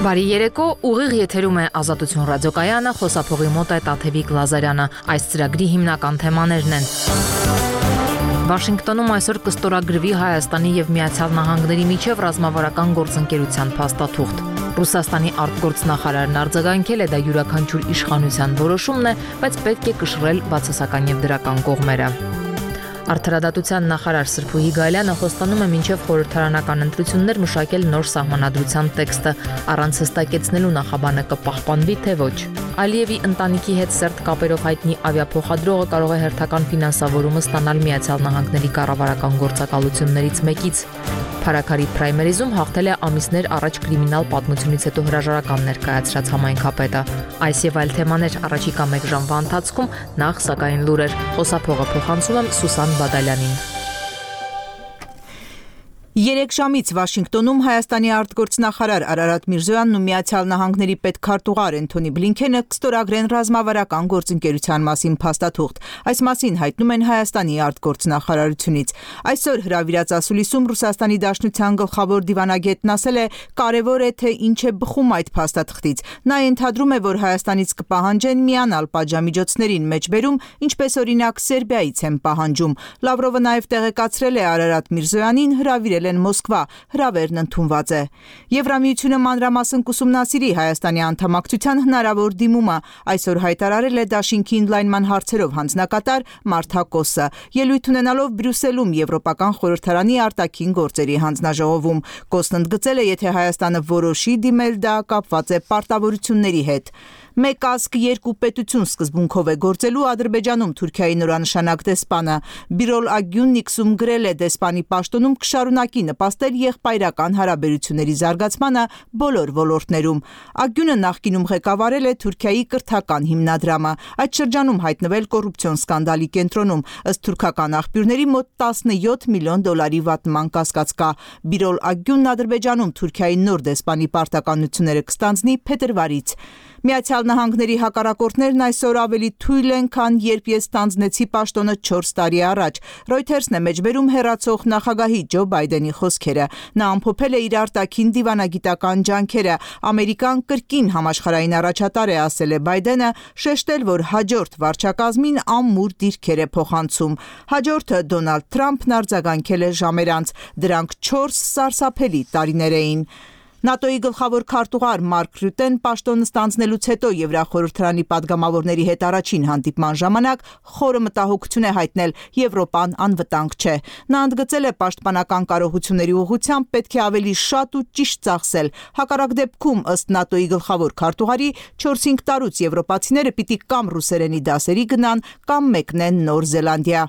Բարի երեկո, ուղիղ եթերում է Ազատություն ռադիոկայանը, խոսափողի մոտ է Տաթևիկ Լազարյանը։ Այս ծրագրի հիմնական թեմաներն են. Վաշինգտոնում այսօր կստորագրվի Հայաստանի եւ Միացյալ Նահանգների միջև ռազմավարական գործընկերության փաստաթուղթ։ Ռուսաստանի արտգործնախարարն արձագանքել է դա յուրաքանչյուր իշխանության որոշումն է, բայց պետք է կշռել բացասական եւ դրական կողմերը։ Արդարադատության նախարար Սրփուհի Գալյանը խոստանում է մինչև խորհրդարանական ընտրություններ մշակել նոր սահմանադրության տեքստը, առանց հստակեցնելու նախաբանը կպահպանվի թե ոչ։ Ալիևի ընտանիքի հետ սերտ կապերով հայտնի ավիափոխադրողը կարող է հերթական ֆինանսավորումը ստանալ Միացյալ Նահանգների կառավարական գործակալություններից մեկից։ Փարաքարի պրայմերիզում հաղթել է ամիսներ առաջ կրիմինալ պատմությունից հետո հրաժարական ներկայացրած համայնքապետը։ Այս եւ այլ թեմաներ առաջիկա 1 ժամվա ընթացքում, նախ սակայն լուրեր։ Խոսափողը փոխանցում եմ Սուսան Բադալյանին։ 3 ժամից Վաշինգտոնում Հայաստանի արտգործնախարար Արարատ Միրզոյանն ու Միացյալ Նահանգների պետքարտուղար Էնթոնի Բլինքենը կստորագրեն ռազմավարական գործընկերության մասին փաստաթուղթ։ Այս մասին հայտնում են Հայաստանի արտգործնախարարությունից։ Այսօր հրավիրած ասուլիսում Ռուսաստանի Դաշնության գլխավոր դիվանագետն ասել է, կարևոր է թե ինչ է բխում այդ փաստաթղթից։ Նա ենթադրում է, որ Հայաստանից կպահանջեն միանալ պատժամիջոցներին մեջբերում, ինչպես օրինակ Սերբիայից են պահանջում։ Լավրովը նաև տեղեկացրել է Արարատ Միրզոյանին հրավիրել են Մոսկվա, հրավերն ընդունված է։ Եվրամիությունը մանրամասն կուսումնասիրի Հայաստանի անդամակցության հնարավոր դիմումը, այսօր հայտարարել է դաշինքի ընդլայնման հարցերով հանձնակատար Մարթա Կոսը, ելույթ ունենալով Բրյուսելում Եվրոպական խորհրդարանի արտաքին գործերի հանձնաժողովում։ Կոսն ընդգծել է, եթե Հայաստանը որոշի դիմել, դա կապված է պարտավորությունների հետ։ Մեկ ազգ երկու պետություն սկզբունքով է գործելու Ադրբեջանում Թուրքիայի նորանշանակ դեսպանը։ Բիրոլ Ագյուննիքսում գրել է դեսպանի պաշտոնում կշարունակի նպաստել եղբայրական հարաբերությունների զարգացմանը բոլոր ոլորտներում։ Ագյունը նախկինում ղեկավարել է Թուրքիայի կրթական հիմնադրամը, այդ շրջանում հայտնվել կոռուպցիոն սկանդալի կենտրոնում, ըստ թուրքական աղբյուրների մոտ 17 միլիոն դոլարի վատնման կասկած կա։ Բիրոլ Ագյունն Ադրբեջանում Թուրքիայի նոր դեսպանի պարտականությունները կստանձնի փետրվարից։ Միացյալ Նահանգների հակառակորդներն այսօր ավելի թույլ են, քան երբ ես ստանձնեցի պաշտոնը 4 տարի առաջ։ Reuters-ն է մեջբերում հեռացող նախագահի Ջո Բայդենի խոսքերը։ Նա ամփոփել է իր արտաքին դիվանագիտական ջանքերը։ Ամերիկան կրկին համաշխարհային առաջատար է, ասել է Բայդենը, շեշտել, որ հաջորդ վարչակազմին ամուր դիրքեր է փոխանցում։ Հաջորդը Դոնալդ Թրամփն արձագանքել է ժամեր անց։ Դրանք 4 սարսափելի տարիներ էին։ ՆԱՏՕ-ի գլխավոր քարտուղար Մարկ Ռյուտեն պաշտոնը ստանձնելուց հետո Եվրախորհրդարանի падգամավորների հետ առաջին հանդիպման ժամանակ խորը մտահոգություն է հայտնել Եվրոպան անվտանգ չէ։ Նա ընդգծել է պաշտպանական կարողությունների ուղղությամբ պետք է ավելի շատ ու ճիշտ ծախսել։ Հակառակ դեպքում, ըստ ՆԱՏՕ-ի գլխավոր քարտուղարի, 4-5 տարուց եվրոպացիները պիտի կամ ռուսերենի դասերի գնան, կամ մեկնեն Նոր Զելանդիա։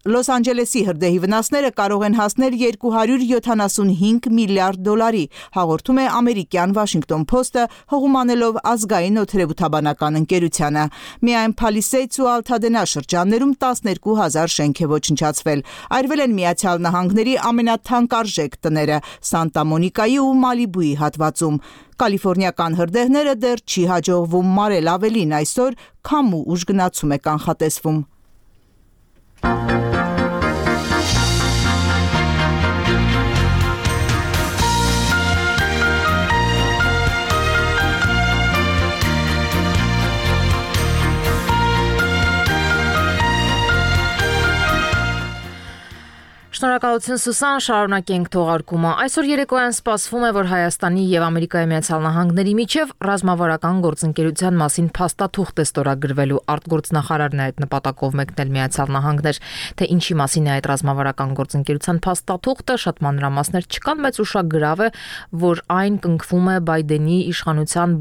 Լոս Անջելեսի հրդեհի վնասները կարող են հասնել 275 միլիարդ դոլարի, հաղորդում է ամերիկյան Washington Post-ը, հողումանելով ազգային օդերևութաբանական ընկերությանը։ Միայն Palisades ու Altadena շրջաններում 12,000 շենք է ոչնչացվել։ Այրվել են Միացյալ Նահանգների ամենաթանկարժեք տները Սանտա Մոնիկայի ու Մալիբուի հատվածում։ Կալիֆոռնիական հրդեհները դեռ չի հաջողվում մարել, ավելին այսօր քամու ուժգնացում է կանխատեսվում։ Շնորհակալություն Սուսան, շարունակենք թողարկումը։ Այսօր երեկոյան սպասվում է, որ Հայաստանի եւ Ամերիկայի Միացյալ Նահանգների միջև ռազմավարական գործընկերության մասին փաստաթուղթ է ստորագրվելու։ Արտգործնախարարն է այդ նպատակով մեկնել Միացյալ Նահանգներ, թե ինչի մասին է այդ ռազմավարական գործընկերության փաստաթուղթը, շատ մանրամասներ չկան, բայց ուշագրավ է, որ այն կնքվում է Բայդենի իշխանության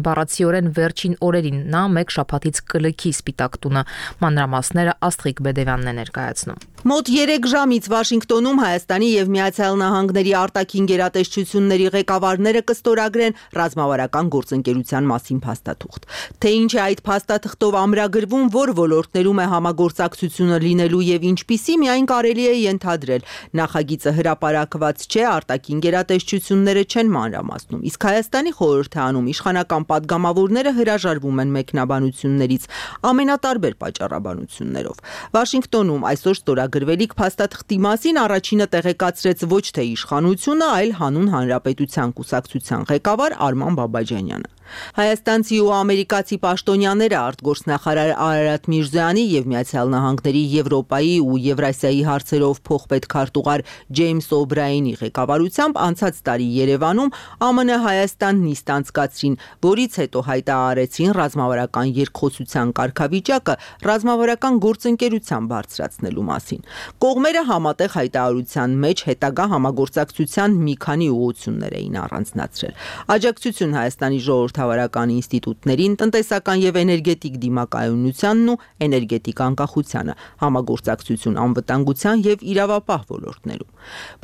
բառացիորեն վերջին օրերին։ Նա մեկ շաբաթից կլքի Սպիտակ տունը։ Մանրամասները Աստղիկ Բեդևյանն է ներկայացնում։ Մոտ 3 ժամից Վաշինգտոնում Հայաստանի եւ Միացյալ Նահանգների արտաքին գերատեսչությունների ղեկավարները կստորագրեն ռազմավարական գործընկերության մասին փաստաթուղթ։ Թե ինչ է այդ փաստաթղթով ամրագրվում, որ ոլորտներում է համագործակցությունը լինելու եւ ինչպիսի, միայն կարելի է ենթադրել։ Նախագիծը հրապարակված չէ, արտաքին գերատեսչությունները չեն մանրամասնում, իսկ Հայաստանի խորհրդարանում իշխանական падգամավորները հրաժարվում են մեկնաբանություններից ամենատարբեր պատճառաբանություններով։ Վաշինգտոնում այսօր ստորագրվելիք փաստաթղթի փաստաթղթի մասին առաջինը տեղեկացրեց ոչ թե իշխանությունը, այլ Հանուն Հանրապետության կուսակցության ղեկավար Արման Բաբաջանյանը։ Հայաստանցի ու ամերիկացի պաշտոնյաները արտգործնախարար Արարատ Միրզոյանի եւ Միացյալ Նահանգների Եվրոպայի ու Եվրասիայի հարցերով փոխպետքարտուղար Ջեյմս Օբրայենի ղեկավարությամբ անցած տարի Երևանում ԱՄՆ-Հայաստան նիստ անցկացրին, որից հետո հայտարարեցին ռազմավարական երկխոսության կարգավիճակը ռազմավարական գործընկերության բարձրացնելու մասին։ Կողմերը համատեղ հայտարարության մեջ հետագա համագործակցության մի քանի ուղղություններ էին առանձնացրել։ Աջակցություն Հայաստանի ժողովրդավարական ինստիտուտներին, տնտեսական եւ էներգետիկ դիմակայունությանն ու էներգետիկ անկախությանը, համագործակցություն անվտանգության եւ իրավապահ ոլորտներում։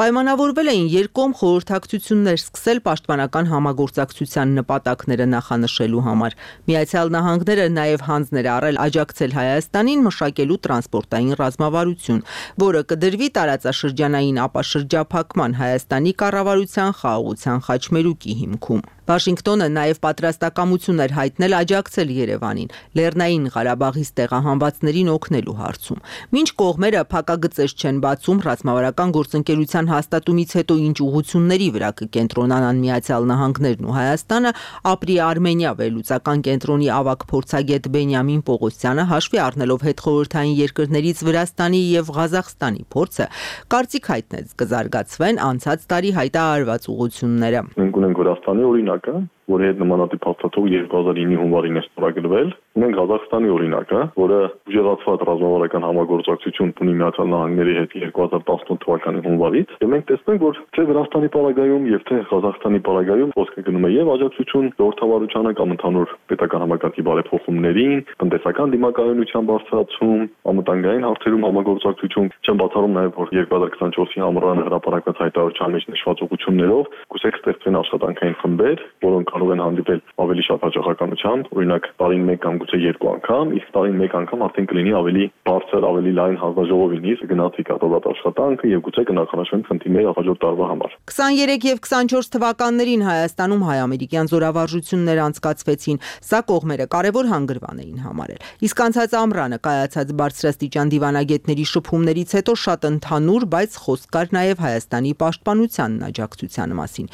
Պայմանավորվել էին երկկողմ խորհրդակցություններ սկսել պաշտպանական համագործակցության նպատակները նախանշելու համար։ Միացյալ Նահանգները նաեւ հանձներ առել աջակցել Հայաստանին մշակելու տրանսպորտային ռազմավարություն, որը կդրվի տարածաշրջանային ապաշրջափակման Հայաստանի կառավարության խաղաղության խաչմերուկի հիմքում։ Վաշինգտոնը նաև պատրաստակամություն էր հայտնել աջակցել Երևանին Լեռնային Ղարաբաղից տեղահանվածներին օգնելու հարցում։ Մինչ կողմերը փակագծեր չեն բացում ռազմավարական գործընկերության հաստատումից հետո ինչ ուղղությունների վրա կկենտրոնանան Միացյալ Նահանգներն ու Հայաստանը, ապրի Արմենիա վերլուծական կենտրոնի ավագ փորձագետ Բենյամին Պողոսյանը հաշվի առնելով հետխորհրդային երկրներից Վրաստանի եւ Ղազախստանի փորձը, կարծիք հայտնեց կզարգացվեն անցած տարի հայտարարված ուղղությունները։ Մենք ունենք Վրաստանի օրինակը, որի հետ նմանատիպ հաստատող 2009-ի հունվարին է ստորագրվել։ Ունենք Ղազախստանի օրինակը, որը ուժեղացված ռազմավարական համագործակցություն ունի Միացյալ Նահանգների հետ 2018 թվականի հունվարից։ Եվ մենք տեսնենք, որ թե Վրաստանի պարագայում եւ թե Ղազախստանի պարագայում խոսքը գնում է եւ աջակցություն ժողովրդավարությանը կամ ընդհանուր պետական համակարգի բարեփոխումներին, տնտեսական դիմակայունության բարձրացում, անվտանգային հարցերում համագործակցություն, չեմ բացառում նաեւ որ 2024-ի ամռանը հրապարակված հայտարարության մեջ նշված ուղղություններով կուսեք ստեղծվեն աշխատանքային խմբեր, որոնք կարող են հանդիպել ավելի շատ հաջողականությամբ, օրինակ տարին 1 կամ գուցե 2 անգամ, իսկ տարին 1 անգամ արդեն կլինի ավելի բարձր, ավելի լայն հանձնաժողովի նիստ, գնացի կատարված աշխատանքը եւ գուցե կնախանշվեն խնդիրները հաջորդ տարվա համար։ 23 եւ 24 թվականներին Հայաստանում հայ-ամերիկյան զորավարժություններ անցկացվեցին, սա կողմերը կարևոր հանգրվան էին համարել։ Իսկ անցած ամռանը կայացած բարձրաստիճան դիվանագետների շփումներից հետո շատ ընդհանուր, բայց խոսք կար նաեւ Հայաստանի պաշտպանությանն աջակցության մասին։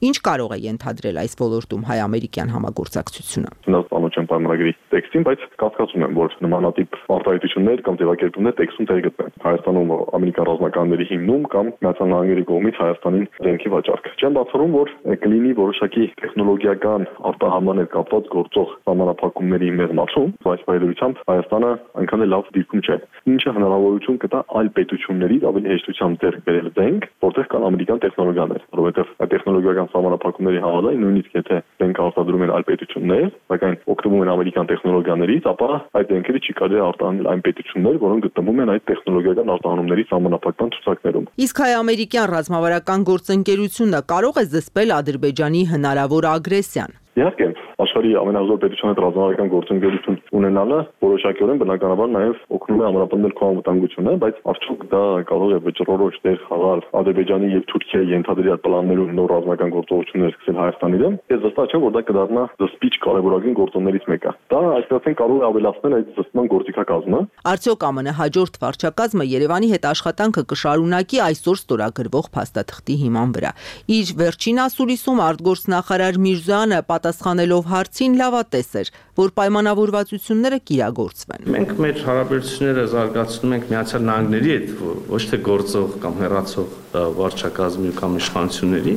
Ինչ կարող է ենթադրել այս ոլորտում հայ-ամերիկյան համագործակցությունը։ Ծանոթ չեմ պայմանագրի տեքստին, բայց կասկածում եմ, որ նմանատիպ արտահայտություններ կամ ձևակերպումներ տեքստում տեղ գտնեն։ Հայաստանում ամերիկյան ռազմականների հիմնում կամ Միացյալ Նահանգների կողմից Հայաստանին զենքի վաճառք։ Չեմ բացառում, որ կլինի որոշակի տեխնոլոգիական արտահանման հետ կապված գործող սահմանափակումների մեղմացում, բայց բարեդրությամբ Հայաստանը այնքան էլ լավ դիրքում չէ։ Ինչը հնարավորություն կտա այլ պետություններից ավելի հեշտությամբ ձեռք բերել զենք, որտեղ կան ամերիկյան տեխնոլոգիաներ, որովհետև այդ տեխնոլոգիական սահմանափակումների համաձայն նույնիսկ եթե զենք արտադրում են այլ պետություններ, սակայն օգտվում են ամերիկյան տեխնոլոգիաներից, ապա այդ զենքերը չի կարելի արտահանել այն պետություններ, որոնք գտնվում են այդ տեխնոլոգիական արտահանումների սահմանափակման ցուցակներում։ Իսկ հայ-ամերիկյան ռազմավարական գործընկերությունը կարող է զսպել Ադրբեջանի հնարավոր ագրեսիան։ Իհարկե, աշխարհի ամենահզոր պետության հետ ռազմավարական գործընկերություն ունենալը որոշակիորեն բնականաբար նաև օգնում է ամրապնդել քո անվտանգությունը, բայց արդյոք դա կարող է վճռորոշ դեր խաղալ Ադրբեջանի եւ Թուրքիայի ենթադրյալ պլաններում նոր ռազմական գործողություններ սկսել Հայաստանի դեմ։ Ես վստահ եմ, որ դա կդառնա զսպիչ կարևորագույն գործոններից մեկը։ Դա այսպես կարող է ավելացնել այդ զսպման գործիքակազմը։ Արդյոք ԱՄՆ հաջորդ վարչակազմը Երևանի հետ աշխատանքը կշարունակի այսօր ստորագրվող փաստաթղթի հիման վրա։ Իր վերջին ասուլիսում արտգործնախարար Միրզոյանը պատասխանելով հարցին լավատես էր, որ պայմանավորվածությունները կիրագործվեն։ Մենք մեր հարաբերությունները զարգացնում ենք Միացյալ Նահանգների հետ, ոչ թե գործող կամ հեռացող վարչակազմի կամ իշխանությունների։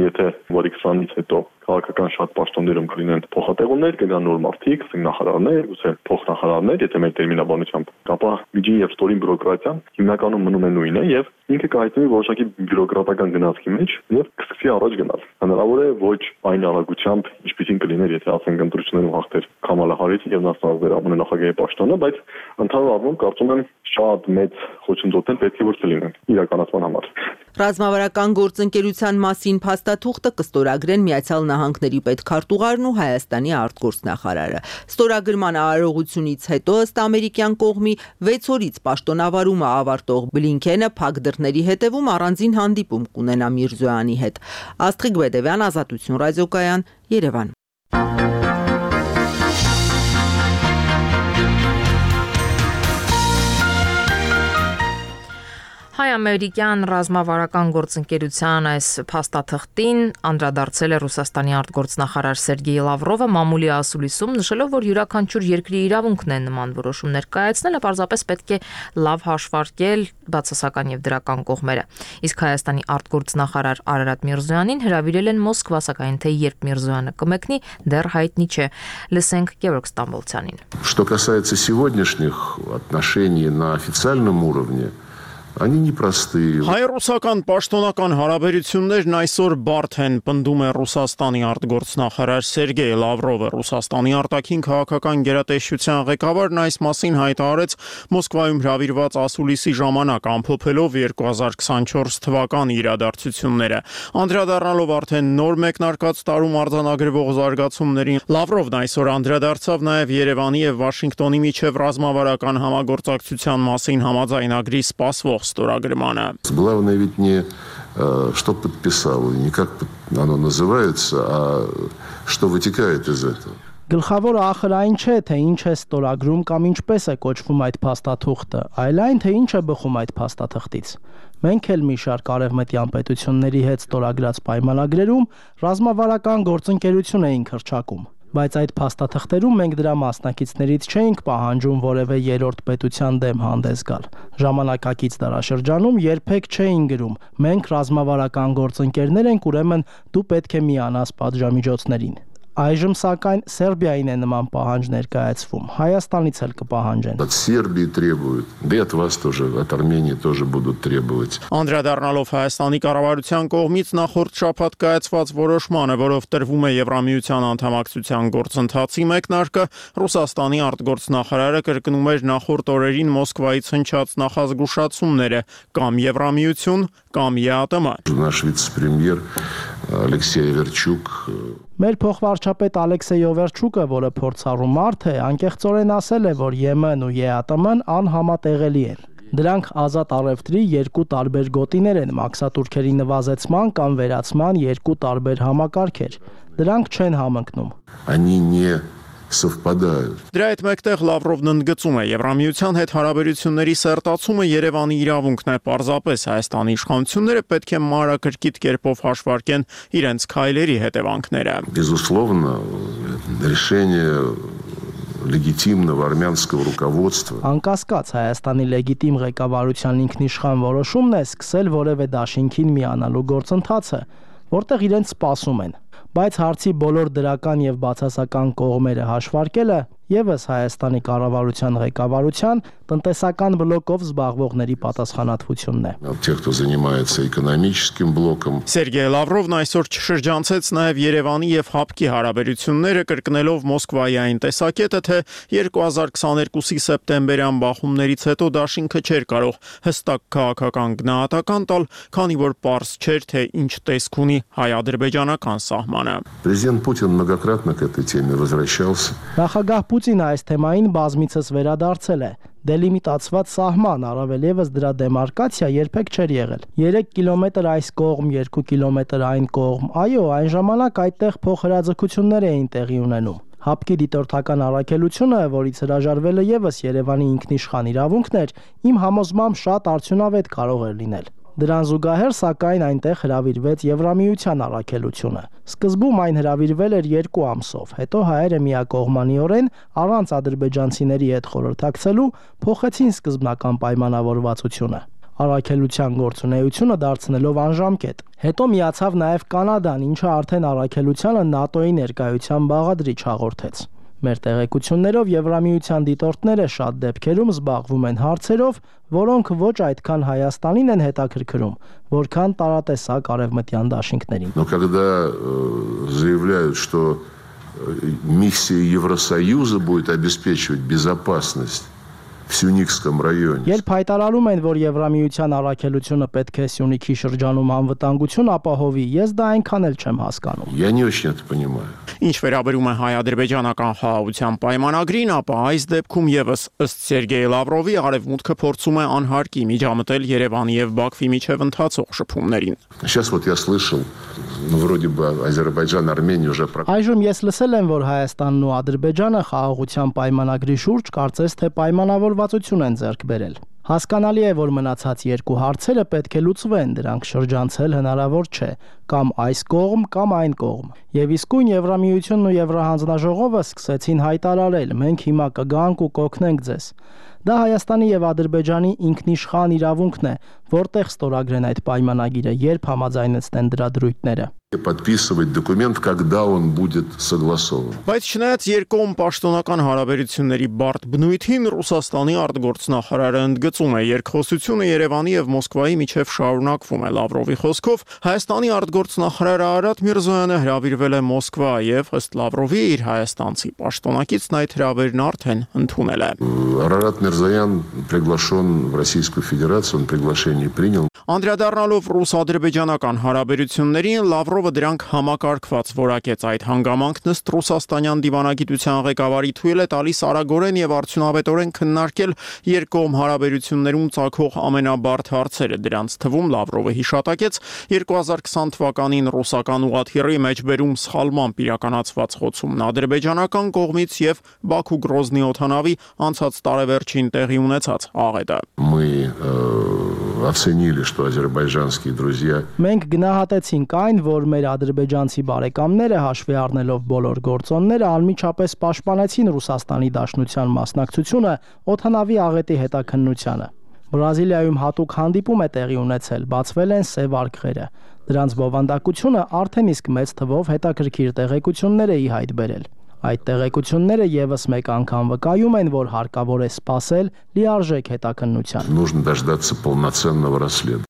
Եթե որի 20-ից հետո քաղաքական շատ պաշտոններում կլինեն փոխատեղումներ, կգան նոր մարդիկ, նախարարներ, ուսե փոխնախարարներ, եթե մեր տերմինաբանությամբ, ապա միջին եւ ստորին բյուրոկրատիան հիմնականում մնում է նույնը եւ ինքը կհայտնվի որոշակի բյուրոկրատական գնացքի մեջ եւ կսկսի առաջ գնալ։ Հնարավոր է ոչ այն արագությամբ, ինչպեսին կլիներ, եթե ասենք ընտրություններում հաղթեր Քամալա Հարիսը եւ նա ստանձներ ԱՄՆ նախագահի պաշտոնը, բայց ընդհանուր առմամբ կարծում եմ շատ մեծ խոչընդոտներ պետք է որ չլինեն իրականացման համար։ Ռազմավարական գործընկերության մասին փաստաթուղթը կստորագրեն Միացյալ Նահանգների պետքարտուղարն ու Հայաստանի արտգործնախարարը։ Ստորագրման արարողությունից հետո ըստ ամերիկյան կողմի 6 օրից պաշտոնավարումը ավարտող Բլինքենը փակ դռների հետևում առանձին հանդիպում կունենա Միրզոյանի հետ։ Աստղիկ Բեդևյան, Ազատություն ռադիոկայան, Երևան։ Հայ-ամերիկյան ռազմավարական գործընկերության այս փաստաթղթին անդրադարձել է Ռուսաստանի արտգործնախարար Սերգեյ Լավրովը մամուլի ասուլիսում, նշելով, որ յուրաքանչյուր երկրի իրավունքն է նման որոշումներ կայացնելը, պարզապես պետք է լավ հաշվարկել բացասական եւ դրական կողմերը։ Իսկ Հայաստանի արտգործնախարար Արարատ Միրզոյանին հրավիրել են Մոսկվա, սակայն թե երբ Միրզոյանը կմեկնի, դեռ հայտնի չէ։ Լսենք Գևորգ Ստամբոլցյանին։ Что касается сегодняшних отношений на официальном уровне, они непростые. Հայ-ռուսական պաշտոնական հարաբերություններն այսօր բարդ են, պնդում է Ռուսաստանի արտգործնախարար Սերգեյ Լավրովը։ Ռուսաստանի արտաքին քաղաքական գերատեսչության ղեկավարն այս մասին հայտարարեց Մոսկվայում հրավիրված ասուլիսի ժամանակ, ամփոփելով 2024 թվականի իրադարձությունները։ Անդրադառնալով արդեն նոր մեկնարկած տարում արձանագրվող զարգացումներին, Լավրովն այսօր անդրադարձավ նաև Երևանի եւ Վաշինգտոնի միջև ռազմավարական համագործակցության մասին համաձայնագրի սպասվող сторагримана. Главное ведь не что подписал, не как оно называется, а что вытекает из этого. Գլխավորը ախր այն չէ, թե ինչ է ստորագրում կամ ինչպես է կոչվում այդ փաստաթուղթը, այլ այն, թե ինչ է բխում այդ փաստաթղթից։ Մենք էլ մի շարք արևմտյան պետությունների հետ ստորագրած պայմանագրերում ռազմավարական գործընկերություն էինք հռչակում։ Բայց այդ փաստաթղթերում մենք դրա մասնակիցներից չէինք պահանջում որևէ երրորդ պետության դեմ հանդես գալ։ Ժամանակակից դարաշրջանում երբեք չէին գրում. մենք ռազմավարական գործընկերներ ենք, ուրեմն դու պետք է միանաս պատժամիջոցներին։ Այժմ սակայն Սերբիային է նման պահանջ ներկայացվում, Հայաստանից էլ կպահանջեն։ От Сербии требуют, да и от вас тоже, от Армении тоже будут требовать. Անդրադառնալով Հայաստանի կառավարության կողմից նախորդ շաբաթ կայացված որոշմանը, որով տրվում է Եվրամիության անդամակցության գործընթացի մեկնարկը, Ռուսաստանի արտգործնախարարը կրկնում էր նախորդ օրերին Մոսկվայից հնչած նախազգուշացումները կամ Եվրամիություն, կամ ԵԱՏՄ։ Наш вице-премьер Алексей Верчук Մեր փոխվարչապետ Ալեքսեյ Օվերչուկը, որը փորձառու մարդ է, անկեղծորեն ասել է, որ ԵՄ-ն ու ԵԱՏՄ-ն անհամատեղելի են։ Դրանք ազատ առևտրի երկու տարբեր գոտիներ են, մաքսատուրքերի նվազեցման կամ վերացման երկու տարբեր համակարգեր։ Դրանք չեն համընկնում։ Они не совпадают. Դրա հետ մեկտեղ Լավրովն ընդգծում է Եվրամիության հետ հարաբերությունների սերտացումը Երևանի իրավունքն է, պարզապես Հայաստանի իշխանությունները պետք է մանրակրկիտ կերպով հաշվարկեն իրենց քայլերի հետևանքները։ Безусловно, решение легитимного армянского руководства. Անկասկած Հայաստանի լեգիտիմ ղեկավարության ինքնիշխան որոշումն է սկսել որևէ դաշինքին միանալու գործընթացը, որտեղ իրենց սպասում են։ Բայց հարցի բոլոր դրական եւ բացասական կողմերը հաշվարկելը եւս Հայաստանի կառավարության ղեկավարության տնտեսական բլոկով զբաղվողների պատասխանատվությունն է։ Те, кто занимается экономическим блоком. Սերգեյ Լավրովն այսօր շրջանցեց նաև Երևանի եւ ՀԱՊԿ-ի հարաբերությունները, կրկնելով Մոսկվայի այն տեսակետը, թե 2022-ի սեպտեմբերյան բախումներից հետո դաշինքը չէր կարող հստակ քաղաքական գնահատական տալ, քանի որ պարզ չէր, թե ինչ տեսք ունի հայ-ադրբեջանական սահմանը։ Президент Путин многократно к этой теме возвращался. Նախագահ Պուտինը այս թեմային բազմիցս վերադարձել է։ Դելիմիտացված սահման, առավել եւս դրա դեմարկացիա երբեք չէր եղել։ 3 կիլոմետր այս կողմ, 2 կիլոմետր այն կողմ։ Այո, այն ժամանակ այդտեղ փոխհրաձգություններ էին տեղի ունենում։ ՀԱՊԿ-ի դիտորդական առաքելությունը, որից հրաժարվելը եւս Երևանի ինքնիշխան իրավունքն էր, իմ համոզմամբ շատ արդյունավետ կարող էր լինել։ Դրան զուգահեռ, սակայն այնտեղ հրավիրվեց Եվրամիության առաքելությունը։ Սկզբում այն հրավիրվել էր 2 ամսով, հետո հայերը միակողմանիորեն առանց ադրբեջանցիների հետ խորհրդակցելու փոխեցին սկզբնական պայմանավորվածությունը։ Առաքելության գործունեությունը դարձնելով անժամկետ։ Հետո միացավ նաև Կանադան, ինչը արդեն առաքելությանը ՆԱՏՕ-ի ներկայության բաղադրիչ հաղորդեց։ Մեր տեղեկություններով Եվրամիության դիտորդները շատ դեպքերում զբաղվում են հարցերով, որոնք ոչ այդքան Հայաստանին են հետաքրքրում, որքան տարատեսակ արևմտյան դաշինքներին։ Но когда заявляют, что миссия Евросоюза будет обеспечивать безопасность в Сюникском районе. Երբ հայտարարում են, որ Եվրամիության առաքելությունը պետք է Սյունիքի շրջանում անվտանգություն ապահովի, ես դա այնքան էլ չեմ հասկանում։ Я не очень это понимаю. Ինչ վերաբերում է հայ-ադրբեջանական խաղաղության պայմանագրին, ապա այս դեպքում եւս ըստ Սերգեյ Լավրովի արևմուտքը փորձում է անհարկի միջամտել Երևանի եւ Բաքվի միջև ընթացող շփումներին։ Сейчас вот я слышал, вроде бы Азербайджан, Армения уже Այժմ ես լսել եմ, որ Հայաստանն ու Ադրբեջանը խաղաղության պայմանագրի շուրջ կարծես թե պայմանավորվածություն են ձեռք բերել։ Հասկանալի է, որ մնացած երկու հարցերը պետք է լուծվեն, դրանք շրջանցել հնարավոր չէ, կամ այս կողմ, կամ այն կողմ։ Եվ իսկույն Եվրամիությունն ու Եվրահանձնաժողովը սկսեցին հայտարարել. մենք հիմա կգանք ու կօգնենք ձեզ։ Դա Հայաստանի եւ Ադրբեջանի ինքնիշխան իրավունքն է, որտեղ ստորագրեն այդ պայմանագիրը, երբ համաձայնեցնեն դրա դրույթները։ Подписывать документ, когда он будет согласован. Բայց չնայած երկկողմ պաշտոնական հարաբերությունների բարդ բնույթին, Ռուսաստանի արտգործնախարարը ընդգծում է, երկխոսությունը Երևանի եւ Մոսկվայի միջև շարունակվում է։ Լավրովի խոսքով Հայաստանի արտգործնախարար Արարատ Միրզոյանը հրավիրվել է Մոսկվա եւ ըստ Լավրովի իր հայաստանցի պաշտոնակիցն այդ հրավերն արդեն ընդունել է։ Арарат Мирзоян приглашен в Российскую Федерацию, он приглашение принял. Անդրադառնալով ռուս-ադրբեջանական հարաբերություններին, Լավրովը դրանք համակարգված որակեց։ Այդ հանգամանքն ըստ ռուսաստանյան դիվանագիտության ղեկավարի թույլ է տալիս արագորեն եւ արդյունավետորեն քննարկել երկկողմ հարաբերություններում ծագող ամենաբարդ հարցերը։ Դրանց թվում Լավրովը հիշատակեց 2020 թվականին ռուսական ուղղաթիռի մեջբերում սխալմամբ իրականացված խոցումն ադրբեջանական կողմից եւ Բաքու-Գրոզնի օդանավի անցած տարեվերջին տեղի ունեցած աղետը։ Мы оценили, что азербайджанские друзья Մենք գնահատեցինք այն, որ մեր ադրբեջանցի բարեկամները հաշվի առնելով բոլոր գործոնները անմիջապես պաշտպանեցին Ռուսաստանի Դաշնության մասնակցությունը օդանավի աղետի հետաքննությանը։ Բրազիլիայում հատուկ հանդիպում է տեղի ունեցել, բացվել են սև արկղերը։ Դրանց բովանդակությունը արդեն իսկ մեծ թվով հետաքրքիր տեղեկություններ է ի հայտ բերել։ Այդ տեղեկությունները եւս մեկ անգամ վկայում են, որ հարկավոր է սպասել լիարժեք հետաքննության։ нужно дождаться полноценного расследования.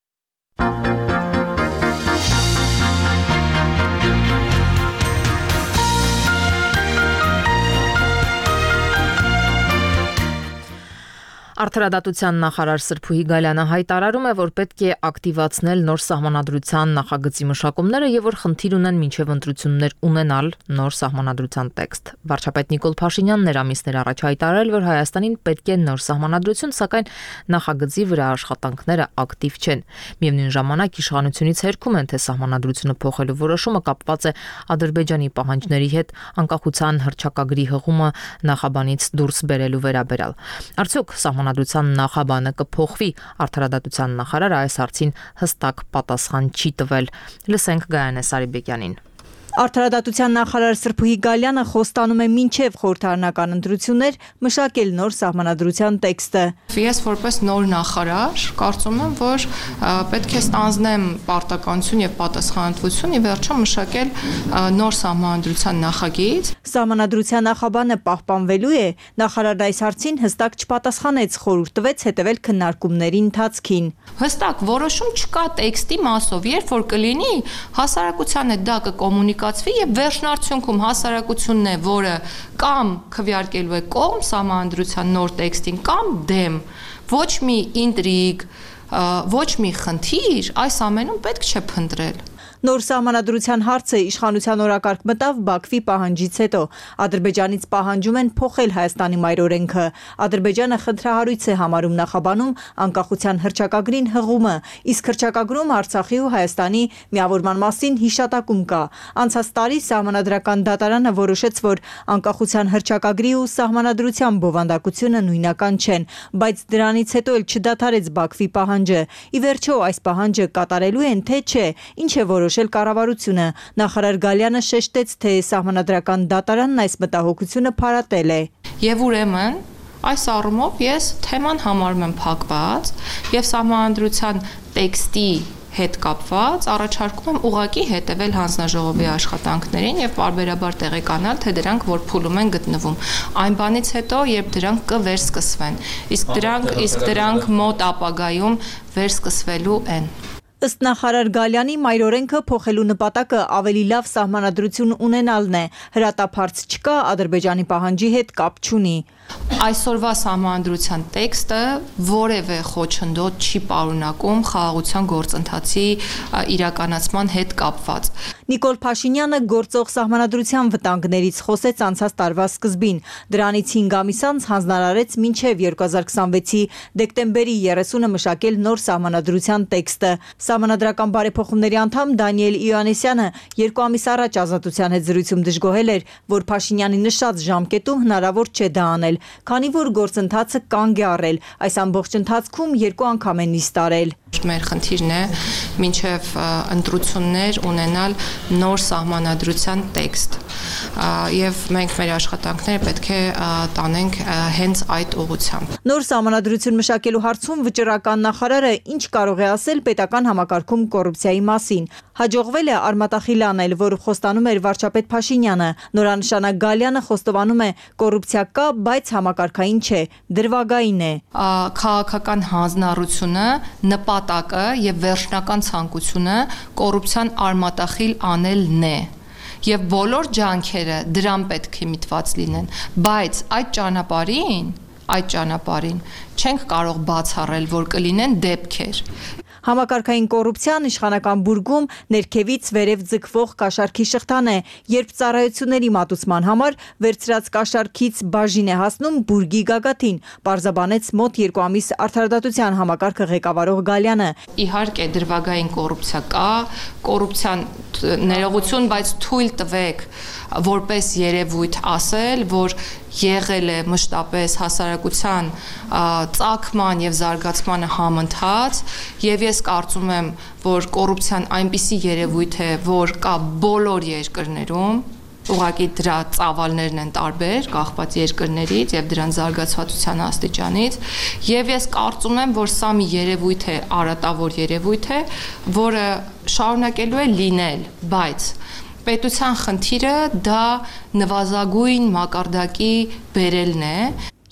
Արդարադատության նախարար Սրփուհի Գալյանը հայտարարում է, որ պետք է ակտիվացնել նոր սահմանադրության նախագծի մշակումները եւ որ խնդիր ունեն մինչեւ ընտրություններ ունենալ նոր սահմանադրության տեքստ։ Վարչապետ Նիկոլ Փաշինյանն էր ամիսներ առաջ հայտարարել, որ Հայաստանին պետք է նոր սահմանադրություն, սակայն նախագծի վրա աշխատանքները ակտիվ չեն։ Միևնույն ժամանակ իշխանությունից հերքում են, թե սահմանադրությունը փոխելու որոշումը կապված է Ադրբեջանի պահանջների հետ անկախության հռչակագրի հղումը նախաբանից դուրս բերելու վերաբերյալ։ Արդյոք Սահմանադրության նախաբանը կփոխվի, արդարադատության նախարարը այս հարցին հստակ պատասխան չի տվել։ Լսենք Գայանե Սարիբեկյանին։ Արդարադատության նախարար Սրփուհի Գալյանը խոստանում է մինչև խորհրդարանական ընտրություններ մշակել նոր սահմանադրության տեքստը։ Ես որպես նոր նախարար կարծում եմ, որ պետք է ստանձնեմ պարտականություն եւ պատասխանատվություն ի վերջո մշակել նոր սահմանադրության նախագիծ։ Սահմանադրության նախաբանը պահպանվելու է, նախարարն այս հարցին հստակ չպատասխանեց, խորհուրդ տվեց հետևել քննարկումների ընթացքին։ Հստակ որոշում չկա տեքստի մասով, երբ որ կլինի հասարակության հետ դա կկոմունիկացվի եւ վերջնարդյունքում հասարակությունն է, որը կամ քվեարկելու է կողմ սահմանադրության նոր տեքստին կամ դեմ, ոչ մի ինտրիգ, ոչ մի խնդիր այս ամենում պետք չէ փնտրել։ Նոր սահմանադրության հարցը իշխանության օրակարգ մտավ Բաքվի պահանջից հետո։ Ադրբեջանից պահանջում են փոխել Հայաստանի մայրօրենքը։ Ադրբեջանը խնդրահարույց է համարում նախաբանում անկախության հռչակագրին հղումը, իսկ հռչակագրում Արցախի ու Հայաստանի միավորման մասին հիշատակում կա։ Անցած տարի Սահմանադրական դատարանը որոշեց, որ անկախության հռչակագրի ու սահմանադրության բովանդակությունը նույնական չեն, բայց դրանից հետո էլ չդադարեց Բաքվի պահանջը։ Ի վերջո այս պահանջը կատարելու են, թե չէ, ինչ է որոշել կառավարությունը։ Նախարար Գալյանը շեշտեց, թե Սահմանադրական դատարանն այս մտահոգությունը փարատել է։ Եվ ուրեմն այս առումով ես թեման համարում եմ փակված եւ սահմանադրության տեքստի հետ կապված առաջարկում եմ ուղղակի հետևել հանձնաժողովի աշխատանքներին եւ պարբերաբար տեղեկանալ, թե դրանք որ փուլում են գտնվում։ Այն բանից հետո, երբ դրանք կվերսկսվեն, իսկ դրանք մոտ ապագայում վերսկսվելու են։ Ըստ նախարար Գալյանի մայրօրենքը փոխելու նպատակը ավելի լավ սահմանադրություն ունենալն է։ Հրատապ հարց չկա, Ադրբեջանի պահանջի հետ կապ չունի։ Այսօրվա սահմանադրության տեքստը որևէ խոչընդոտ չի պարունակում խաղաղության գործընթացի իրականացման հետ կապված։ Նիկոլ Փաշինյանը գործող սահմանադրության վտանգներից խոսեց անցած տարվա սկզբին։ Դրանից 5 ամիս անց հանձնարարեց մինչև 2026-ի դեկտեմբերի 30-ը մշակել նոր սահմանադրության տեքստը։ Սահմանադրական բարեփոխումների անդամ Դանիել Իոաննիսյանը 2 ամիս առաջ Ազատության հետ զրույցում դժգոհել էր, որ Փաշինյանի նշած ժամկետում հնարավոր չէ դա անել։ ընդունել, քանի որ գործընթացը կանգ է առել, այս ամբողջ ընթացքում 2 անգամ են նիստ արել։ Մեր խնդիրն է մինչև ընտրություններ ունենալ նոր սահմանադրության տեքստ եւ մենք մեր աշխատանքները պետք է տանենք հենց այդ ուղղությամբ։ Նոր սահմանադրություն մշակելու հարցում վճռական նախարարը ինչ կարող է ասել պետական համակարգում կոռուպցիայի մասին։ Հաջողվել է արմատախիլ անել, որ խոստանում էր վարչապետ Փաշինյանը։ Նորանշանակ Գալյանը խոստովանում է կոռուպցիա կա, բայց համակարգային չէ, դրվագային է։ Քաղաքական հանձնառությունը, նպատակը եւ վերջնական ցանկությունը կոռուպցիան արմատախիլ անելն է։ Եվ բոլոր ջանքերը դրան պետք է միտված լինեն, բայց այդ ճանապարհին չենք կարող բացառել, որ կլինեն դեպքեր։ Համակարգային կոռուպցիան իշխանական բուրգում ներքևից վերև ձգվող կաշառքի շղթան է, երբ ծառայությունների մատուցման համար վերցրած կաշառքից բաժին է հասնում բուրգի գագաթին, պարզաբանեց մոտ 2 ամիս արդարադատության համակարգը ղեկավարող Գալյանը։ Իհարկե դրվագային կոռուպցիա կա, կոռուպցիան ներողություն, բայց թույլ տվեք որպես երևույթ ասել, որ եղել է մշտապես հասարակության ծագման եւ զարգացմանը համընթաց, եւ ես կարծում եմ, որ կոռուպցիան այնպիսի երևույթ է, որ կա բոլոր երկրներում, ուղղակի դրա ծավալներն են տարբեր, կախված երկրներից եւ դրան զարգացվածության աստիճանից, եւ ես կարծում եմ, որ սա մի երևույթ է, արատավոր երևույթ է, որը շարունակելու է լինել, բայց պետության խնդիրը դա նվազագույն մակարդակի բերելն է։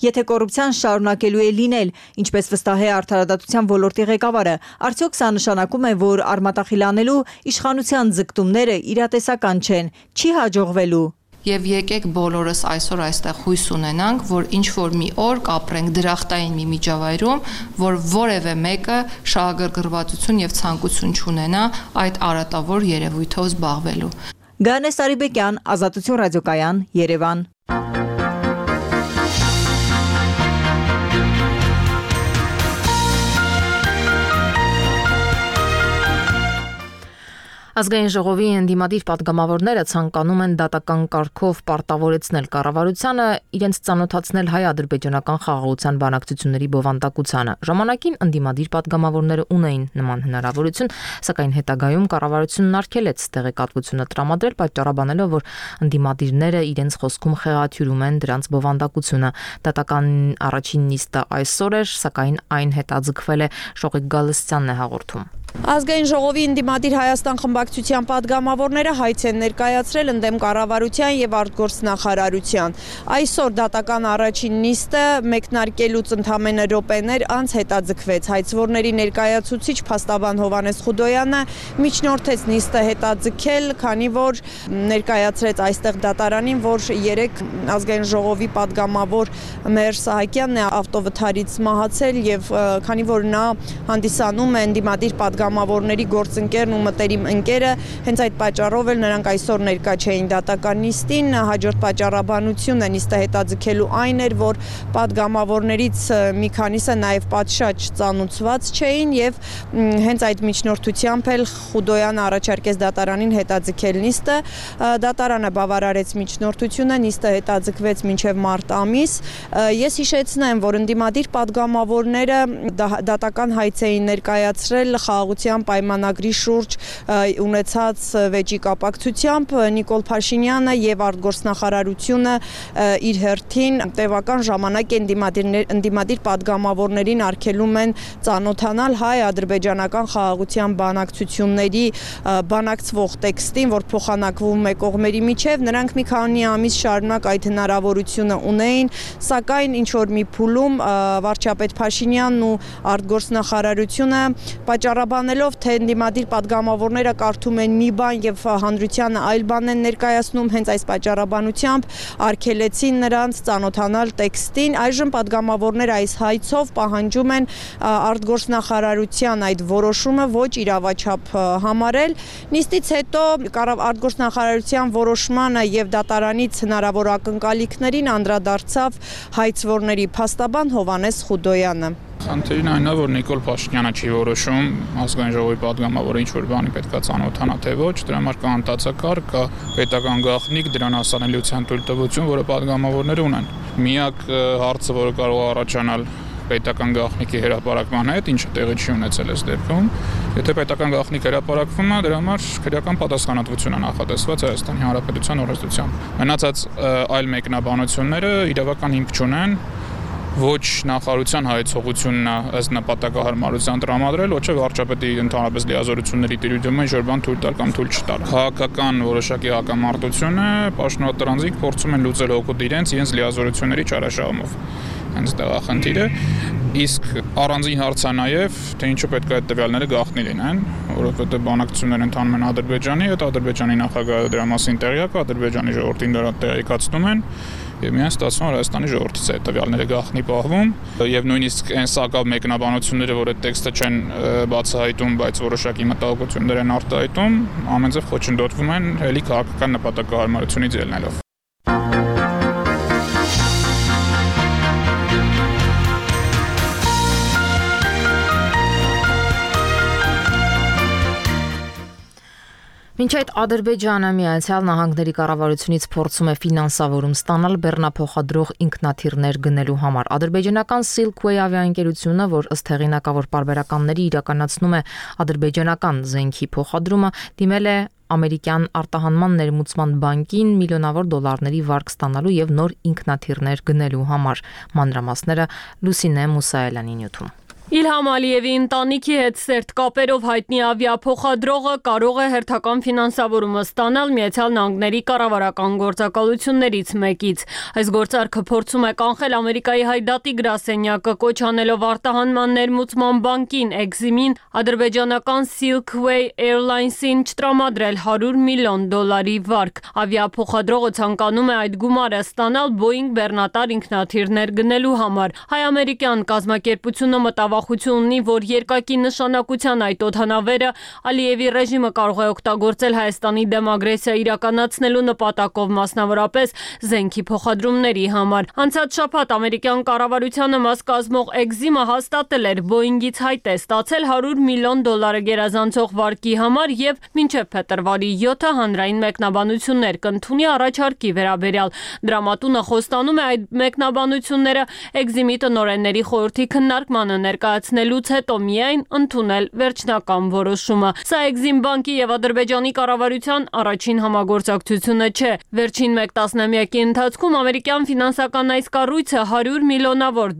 Եթե կոռուպցիան շարունակելու է լինել, ինչպես վստահ է արդարադատության ոլորտի ղեկավարը, արդյոք սա նշանակում է, որ արմատախիլ անելու իշխանության ձգտումները իրատեսական չեն, չի հաջողվելու։ Եվ եկեք բոլորս այսօր այստեղ հույս ունենանք, որ ինչ-որ մի օր կապրենք դրախտային մի միջավայրում, որ որևէ մեկը շահագրգռվածություն եւ ցանկություն չունենա այդ արատավոր երևույթով զբաղվելու։ Գանե Սարիբեկյան, Ազատություն ռադիոկայան, Երևան։ Ազգային ժողովի ընդդիմադիր պատգամավորները ցանկանում են դատական կարգով պարտավորեցնել կառավարությանը իրենց ծանոթացնել հայ-ադրբեջանական խաղաղության բանակցությունների բովանդակությանը։ Ժամանակին ընդդիմադիր պատգամավորները ունեին նման հնարավորություն, սակայն հետագայում կառավարությունն արգելեց տեղեկատվությունը տրամադրել, պատճառաբանելով, որ ընդդիմադիրները իրենց խոսքում խեղաթյուրում են դրանց բովանդակությունը։ Դատական առաջին նիստը այսօր էր, սակայն այն հետաձգվել է, Շողիկ Գալստյանն է հաղորդում։ Ազգային ժողովի ընդդիմադիր Հայաստան խմբակցության պատգամավորները հայց են ներկայացրել ընդդեմ կառավարության եւ արտգործնախարարության։ Այսօր դատական առաջին նիստը մեկնարկելուց ընդամենը րոպեներ անց հետաձգվեց։ Հայցվորների ներկայացուցիչ փաստաբան Հովհաննես Խուդոյանը միջնորդեց նիստը հետաձգել, քանի որ ներկայացրեց այստեղ դատարանին, որ 3 ազգային ժողովի պատգամավոր Մհեր Սահակյանն է ավտովթարից մահացել եւ քանի որ նա հանդիսանում է ընդդիմադիր պատգամավորների գործընկերն ու մտերիմ ընկերը, հենց այդ պատճառով էլ նրանք այսօր ներկա չէին դատական նիստին, հաջորդ պատճառաբանությունը նիստը հետաձգելու այն էր, որ պատգամավորներից մի քանիսը նաև պատշաճ ծանուցված չէին եւ հենց այդ միջնորդությամբ էլ Խուդոյանը առաջարկեց դատարանին հետաձգել նիստը, դատարանը բավարարեց միջնորդությունը, նիստը հետաձգվեց մինչև մարտ ամիս։ Ես հիշեցնեմ, որ ընդդիմադիր պատգամավորները դատական հայց էին ներկայացրել խաղաղության պայմանագրի շուրջ ունեցած վեճի կապակցությամբ Նիկոլ Փաշինյանը եւ արտգործնախարարությունը իր հերթին տևական ժամանակ ընդդիմադիր պատգամավորներին արգելում են ծանոթանալ հայ-ադրբեջանական խաղաղության բանակցությունների բանակցվող տեքստին, որ փոխանակվում է կողմերի միջև, նրանք մի քանի ամիս շարունակ այդ հնարավորությունը ունեին, սակայն ինչ որ մի փուլում վարչապետ Փաշինյանն ու արտգործնախարարությունը պատճառաբանելով, թե ընդդիմադիր պատգամավորները կարդում են մի բան եւ հանրությանը այլ բան են ներկայացնում, հենց այս պատճառաբանությամբ արգելեցին նրանց ծանոթանալ տեքստին։ Այժմ պատգամավորները այս հայցով պահանջում են արտգործնախարարության այդ որոշումը ոչ իրավաչափ համարել։ Նիստից հետո արտգործնախարարության որոշմանը եւ դատարանից հնարավոր ակնկալիքներին անդրադարձավ հայցվորների փաստաբան Հովհաննես Խուդոյանը։ Խնդիրն այն է, որ Նիկոլ Փաշինյանը չի որոշում ազգային ժողովի падգամավորը ինչ որ բանի պետքա ծանոթանա թե ոչ, դրա համար կա անտացակարգ, կա պետական գաղտնիք, դրան հասանելիության թույլտվություն, որը падգամավորները ունեն։ Միակ հարցը, որը կարող է առաջանալ պետական գաղտնիքի հրապարակման հետ, ինչը տեղի չի ունեցել այս դեպքում, եթե պետական գաղտնիք հրապարակվում է, դրա համար քրեական պատասխանատվություն է նախատեսված Հայաստանի Հանրապետության օրենսդրությամբ։ Մնացած այլ մեկնաբանությունները իրավական հիմք չունեն, ոչ նախարարության հայեցողությունն է ըստ նպատակահարմարության տրամադրել, ոչ էլ վարչապետի ընդհանրապես լիազորությունների տիրույթում ինչ որ բան թույլ տալ կամ թույլ չտալ։ Քաղաքական որոշակի հակամարտությունը պաշտոնատարանձիկ փորձում են լուծել օգուտ իրենց լիազորությունների չարաշահումով։ Հենց դա է խնդիրը, իսկ առանձին հարց է նաև, թե ինչու պետք է այդ տվյալները գաղտնի լինեն, որովհետև բանակցություններ ընթանում են Ադրբեջանի հետ, Ադրբեջանի նախագահը դրա մասին տեղյակ է, Ադրբեջանի ժողովրդին դրա տեղեկացնում են, եւ միայն ստացվում է Հայաստանի ժողովրդից է տվյալները գաղտնի պահվում, եւ նույնիսկ այն սակավ մեկնաբանությունները, որ այդ տեքստը չեն բացահայտում, բայց որոշակի մտահոգություններ են արտահայտում, ամենձև խոչընդոտվում են հելի քաղաքական նպատակահարմարությունից ելնելով։ Մինչ այդ Ադրբեջանը Միացյալ Նահանգների կառավարությունից փորձում է ֆինանսավորում ստանալ բեռնափոխադրող ինքնաթիռներ գնելու համար։ Ադրբեջանական Silkway ավիաընկերությունը, որ ըստ հեղինակավոր պարբերականների իրականացնում է ադրբեջանական զենքի փոխադրումը, դիմել է ամերիկյան արտահանման ներմուծման բանկին միլիոնավոր դոլարների վարկ ստանալու եւ նոր ինքնաթիռներ գնելու համար։ Մանրամասները Լուսինե Մուսայելյանի նյութում։ Իլհամ Ալիևի ընտանիքի հետ սերտ կապերով հայտնի ավիափոխադրողը կարող է հերթական ֆինանսավորումը ստանալ Միացյալ Նահանգների կառավարական գործակալություններից մեկից։ Այս գործարքը փորձում է կանխել Ամերիկայի հայդատի գրասենյակը, կոչ անելով արտահանման ներմուծման բանկին Exim-ին ադրբեջանական Silkway Airlines-ին չտրամադրել $100 միլիոն վարկ։ Ավիափոխադրողը ցանկանում է այդ գումարը ստանալ Boeing բեռնատար ինքնաթիռներ գնելու համար։ Հայ-ամերիկյան կազմակերպությունը մտավախություն ունի, որ երկակի նշանակության այդ օդանավերը Ալիևի ռեժիմը կարող է օգտագործել Հայաստանի դեմ ագրեսիա իրականացնելու նպատակով, մասնավորապես զենքի փոխադրումների համար։ Անցած շաբաթ ամերիկյան կառավարությանը մաս կազմող Exim-ը հաստատել էր Boeing-ից հայտ է ստացել $100 միլիոն գերազանցող վարկի համար եւ մինչեւ փետրվարի 7-ը հանրային մեկնաբանություններ կընդունի առաջարկի վերաբերյալ։ Դրամատունը խոստանում է այդ մեկնաբանությունները Exim-ի տնօրենների խորհրդի քննարկմանը ներկայացնելուց հետո միայն ընդունել վերջնական որոշումը։ Սա Exim բանկի եւ Ադրբեջանի կառավարության առաջին համագործակցությունը չէ։ Վերջին մեկ տասնամյակի ընթացքում ամերիկյան ֆինանսական այս կառույցը $100 միլիոնավոր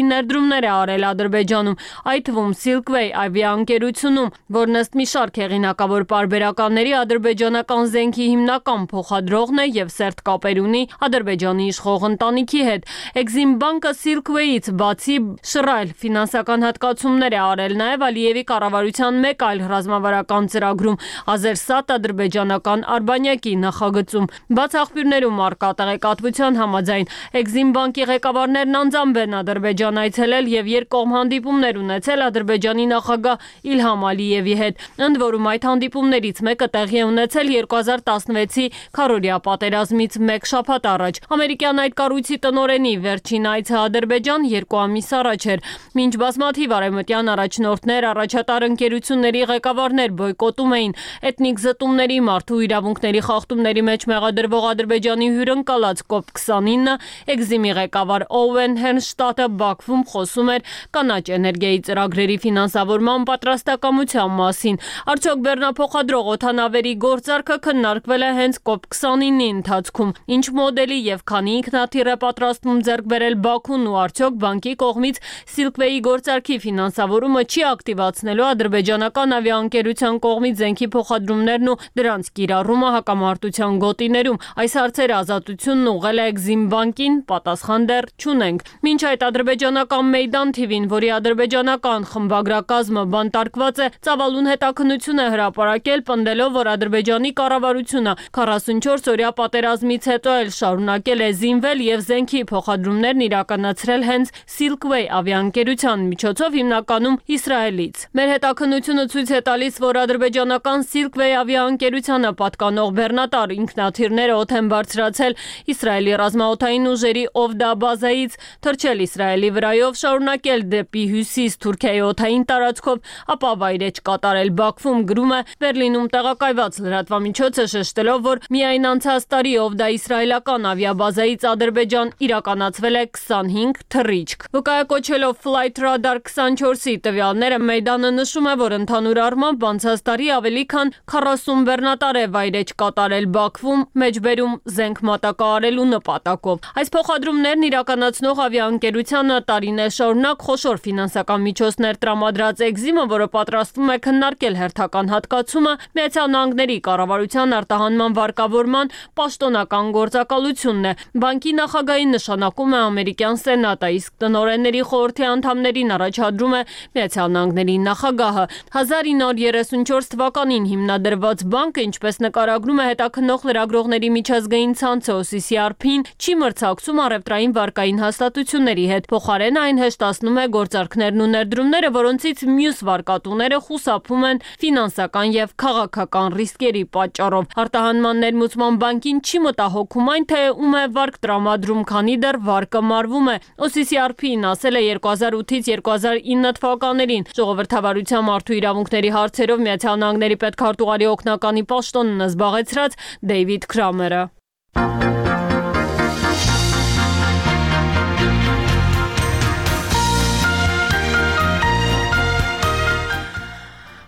ներդրումներ է արել Ադրբեջանում, այդ թվում Silkway ավիաընկերությունում, որն ըստ մի շարք հեղինակավոր պարբերականների ադրբեջանական զենքի հիմնական փոխադրողն է եւ սերտ կապեր ունի Ադրբեջանի իշխող ընտանիքի հետ։ Exim բանկը Silkway-ից բացի շռայլ ֆինանսական հատկացումներ է արել նաև Ալիևի կառավարության մեկ այլ ռազմավարական ծրագրում Ազերսատ ադրբեջանական արբանյակի նախագծում։ Բաց աղբյուրներում առկա տեղեկատվության համաձայն Exim բանկի ղեկավարներն անձամբ են Ադրբեջան այցելել եւ երկկողմ հանդիպումներ ունեցել Ադրբեջանի նախագահ Իլհամ Ալիևի հետ։ Ընդ որում այդ հանդիպումներից մեկը տեղի է ունեցել 2016-ի քառօրյա պատերազմից մեկ շաբաթ առաջ։ Ամերիկյան այդ կառույցի տնօրենի վերջին այցը Ադրբեջան 2 ամիս առաջ էր։ Մինչ բազմաթիվ արևմտյան առաջնորդներ, առաջատար ընկերությունների ղեկավարներ բոյկոտում էին էթնիկ զտումների, մարդու իրավունքների խախտումների մեջ մեղադրվող Ադրբեջանի հյուրընկալած COP29, Exim-ի ղեկավար Օուեն Հերնշտադտը Բաքվում խոսում էր կանաչ էներգիայի ծրագրերի ֆինանսավորման պատրաստակամության մասին։ Արդյոք բեռնափոխադրող օդանավերի գործարքը քննարկվել է հենց COP29-ի ընթացքում։ Ինչ մոդելի եւ քանի ինքնաթիռ է պատրաստվում ձեռք բերել Բաքուն ու արդյոք բանկի կողմից Silkway-ի գործարքի ֆինանսավորումը չի ակտիվացնելու ադրբեջանական ավիաընկերության կողմից զենքի փոխադրումներն ու դրանց կիրառումը հակամարտության գոտիներում։ Այս հարցերը Ազատությունն ուղղել է Exim բանկին, պատասխան դեռ չունենք։ Մինչ այդ ադրբեջանական Մեյդան TV-ն, որի ադրբեջանական խմբագրակազմը բանտարկված է, ծավալուն հետաքննություն է հրապարակել, պնդելով, որ Ադրբեջանի կառավարությունը 44-օրյա պատերազմից հետո էլ շարունակել է զինվել եւ զենքի փոխադրումներն իրականացրել հենց Silkway ավիաընկերության միջոցով հիմնականում Իսրայելից։ Մեր հետաքննությունը ցույց է տալիս, որ ադրբեջանական Silkway ավիաընկերությանը պատկանող բեռնատար ինքնաթիռները օդ են բարձրացել Իսրայելի ռազմաօդային ուժերի Ovda բազայից, թռչել Իսրայելի վրայով, շարունակել դեպի հյուսիս Թուրքիայի օդային տարածքով, ապա վայրէջք կատարել Բաքվում, գրում է Բերլինում տեղակայված լրատվամիջոցը, շեշտելով, որ միայն անցած տարի Ovda իսրայելական ավիաբազայից Ադրբեջան իրականացվել է 25 թռիչք։ Վկայակոչելով Flight Radar 24-ի տվյալները, Մեյդանը նշում է, որ ընդհանուր առմամբ անցած տարի ավելի քան 40 բեռնատար է վայրէջք կատարել Բաքվում, մեջբերում զենք մատակարարելու նպատակով։ Այս փոխադրումներն իրականացնող ավիաընկերությանը տարիներ շարունակ խոշոր ֆինանսական միջոցներ տրամադրած Exim-ը, որը պատրաստվում է քննարկել հերթական հատկացումը, Միացյալ Նահանգների կառավարության արտահանման վարկավորման պաշտոնական գործակալությունն է։ Բանկի նախագահի նշանակում է ամերիկյան սենատը, իսկ տնօրենների խորհրդի անդամներին առաջադրում է Միացյալ Նահանգների նախագահը։ 1934 թվականին հիմնադրված բանկը, ինչպես նկարագրում է հետաքննող լրագրողների միջազգային ցանցը OCCRP-ին, չի մրցակցում առևտրային վարկային հաստատությունների հետ։ Փոխարենը այն հեշտացնում է գործարքներն ու ներդրումները, որոնցից մյուս վարկատուները խուսափում են ֆինանսական եւ քաղաքական ռիսկերի պատճառով։ Արտահանման ներմուծման բանկին չի մտահոգում այն, թե ում է վարկ տրամադրում, քանի դեռ վարկը մարվում է։ OCCRP-ին ասել է 2008-ից 2009 թվականներին ժողովրդավարության մարդու իրավունքների հարցերով Միացյալ Նահանգների պետքարտուղարի օգնականի պաշտոնն զբաղեցրած Դեյվիդ Քրամերը։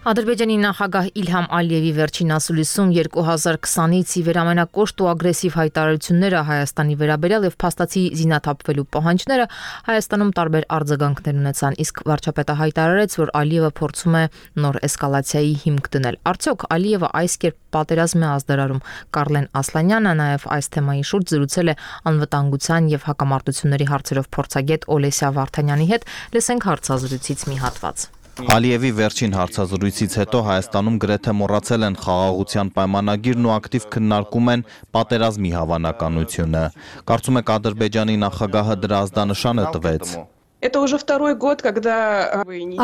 Ադրբեջանի նախագահ Իլհամ Ալիևի վերջին ասուլիսում 2020-ից ի վեր ամենակոշտ ու ագրեսիվ հայտարարությունները Հայաստանի վերաբերյալ եւ փաստացի զինաթափվելու պահանջները Հայաստանում տարբեր արձագանքներ ունեցան, իսկ վարչապետը հայտարարեց, որ Ալիևը փորձում է նոր էսկալացիայի հիմք դնել։ Արդյոք Ալիևը այս կերպ պատերազմ է ազդարարում։ Կարլեն Ասլանյանը նաեւ այս թեմայի շուրջ զրուցել է անվտանգության եւ հակամարտությունների հարցերով փորձագետ Օլեսիա Վարդանյանի հետ։ Լսենք հարցազրույցից մի հատված։ Ալիևի վերջին հարցազրույցից հետո Հայաստանում գրեթե մոռացել են խաղաղության պայմանագիրն ու ակտիվ քննարկում են պատերազմի հավանականությունը։ Կարծում եք Ադրբեջանի նախագահը դրա ազդանշանը տվեց։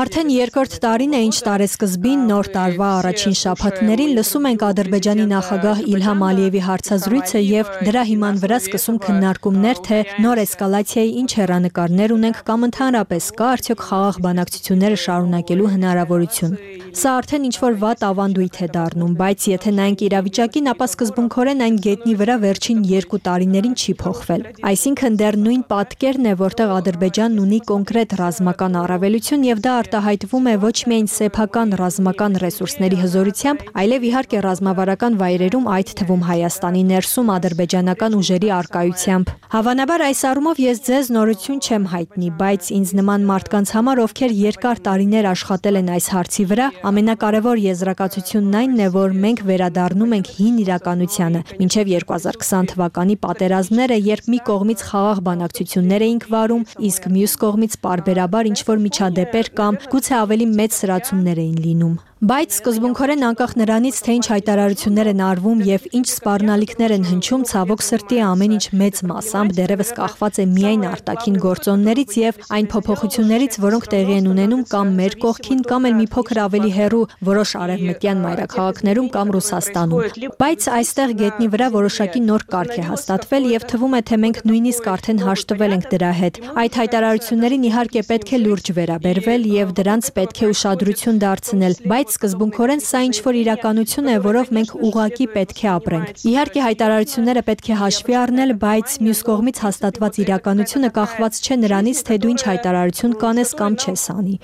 Արդեն երկրորդ տարին է, ինչ տարեսկզբին նոր տարվա առաջին շաբաթներին լսում ենք Ադրբեջանի նախագահ Իլհամ Ալիևի հարցազրույցը եւ դրա հիման վրա սկսում քննարկումներ, թե նոր էսկալացիայի ինչ հեռանկարներ ունենք կամ ընդհանրապես կա արդյոք խաղաղ բանակցությունները շարունակելու հնարավորություն։ Սա արդեն ինչ-որ վատ ավանդույթ է դառնում, բայց եթե նայենք իրավիճակին, ապա սկզբունքորեն այն գետնի վրա վերջին 2 տարիներին չի փոխվել։ Այսինքն դեռ նույն պատկերն է, որտեղ Ադրբեջանն ունի կոնկրետ ռազմական առավելություն եւ դա արտահայտվում է ոչ միայն սեփական ռազմական ռեսուրսների հզորությամբ, այլև իհարկե ռազմավարական վայրերում, այդ թվում Հայաստանի ներսում ադրբեջանական ուժերի առկայությամբ։ Հավանաբար այս առումով ես ձեզ նորություն չեմ հայտնի, բայց ինձ նման մարդկանց համար, ովքեր երկար տարիներ աշխատել են այս հարցի վրա, ամենակարևոր եզրակացությունն այնն է, որ մենք վերադառնում ենք հին իրականությանը, մինչև 2020 թվականի պատերազմները, երբ մի կողմից խաղաղ բանակցություններ էինք վարում, իսկ մյուս կողմից պարբերաբար ինչ-որ միջադեպեր կամ գուցե ավելի մեծ սրացումներ էին լինում։ Բայց սկզբունքորեն անկախ նրանից, թե ինչ հայտարարություններ են արվում եւ ինչ սպառնալիքներ են հնչում, ցավոք սրտի ամեն ինչ մեծ մասամբ դեռևս կախված է միայն արտաքին գործոններից եւ այն փոփոխություններից, որոնք տեղի են ունենում կամ մեր կողքին, կամ էլ մի փոքր ավելի հեռու որոշ արևմտյան մայրաքաղաքներում կամ Ռուսաստանում։ Բայց այստեղ գետնի վրա որոշակի նոր կարգ է հաստատվել եւ թվում է, թե մենք նույնիսկ արդեն հաշտվել ենք դրա հետ։ Այդ հայտարարություններին իհարկե պետք է լուրջ վերաբերվել եւ դրանց պետք է ուշադրություն դարձնել, բայց սկզբունքորեն սա ինչ-որ իրականություն է, որով մենք ուղղակի պետք է ապրենք։ Իհարկե հայտարարությունները պետք է հաշվի առնել, բայց մյուս կողմից հաստատված իրականությունը կախված չէ նրանից, թե դու ինչ հայտարարություն կանես կամ չես անի։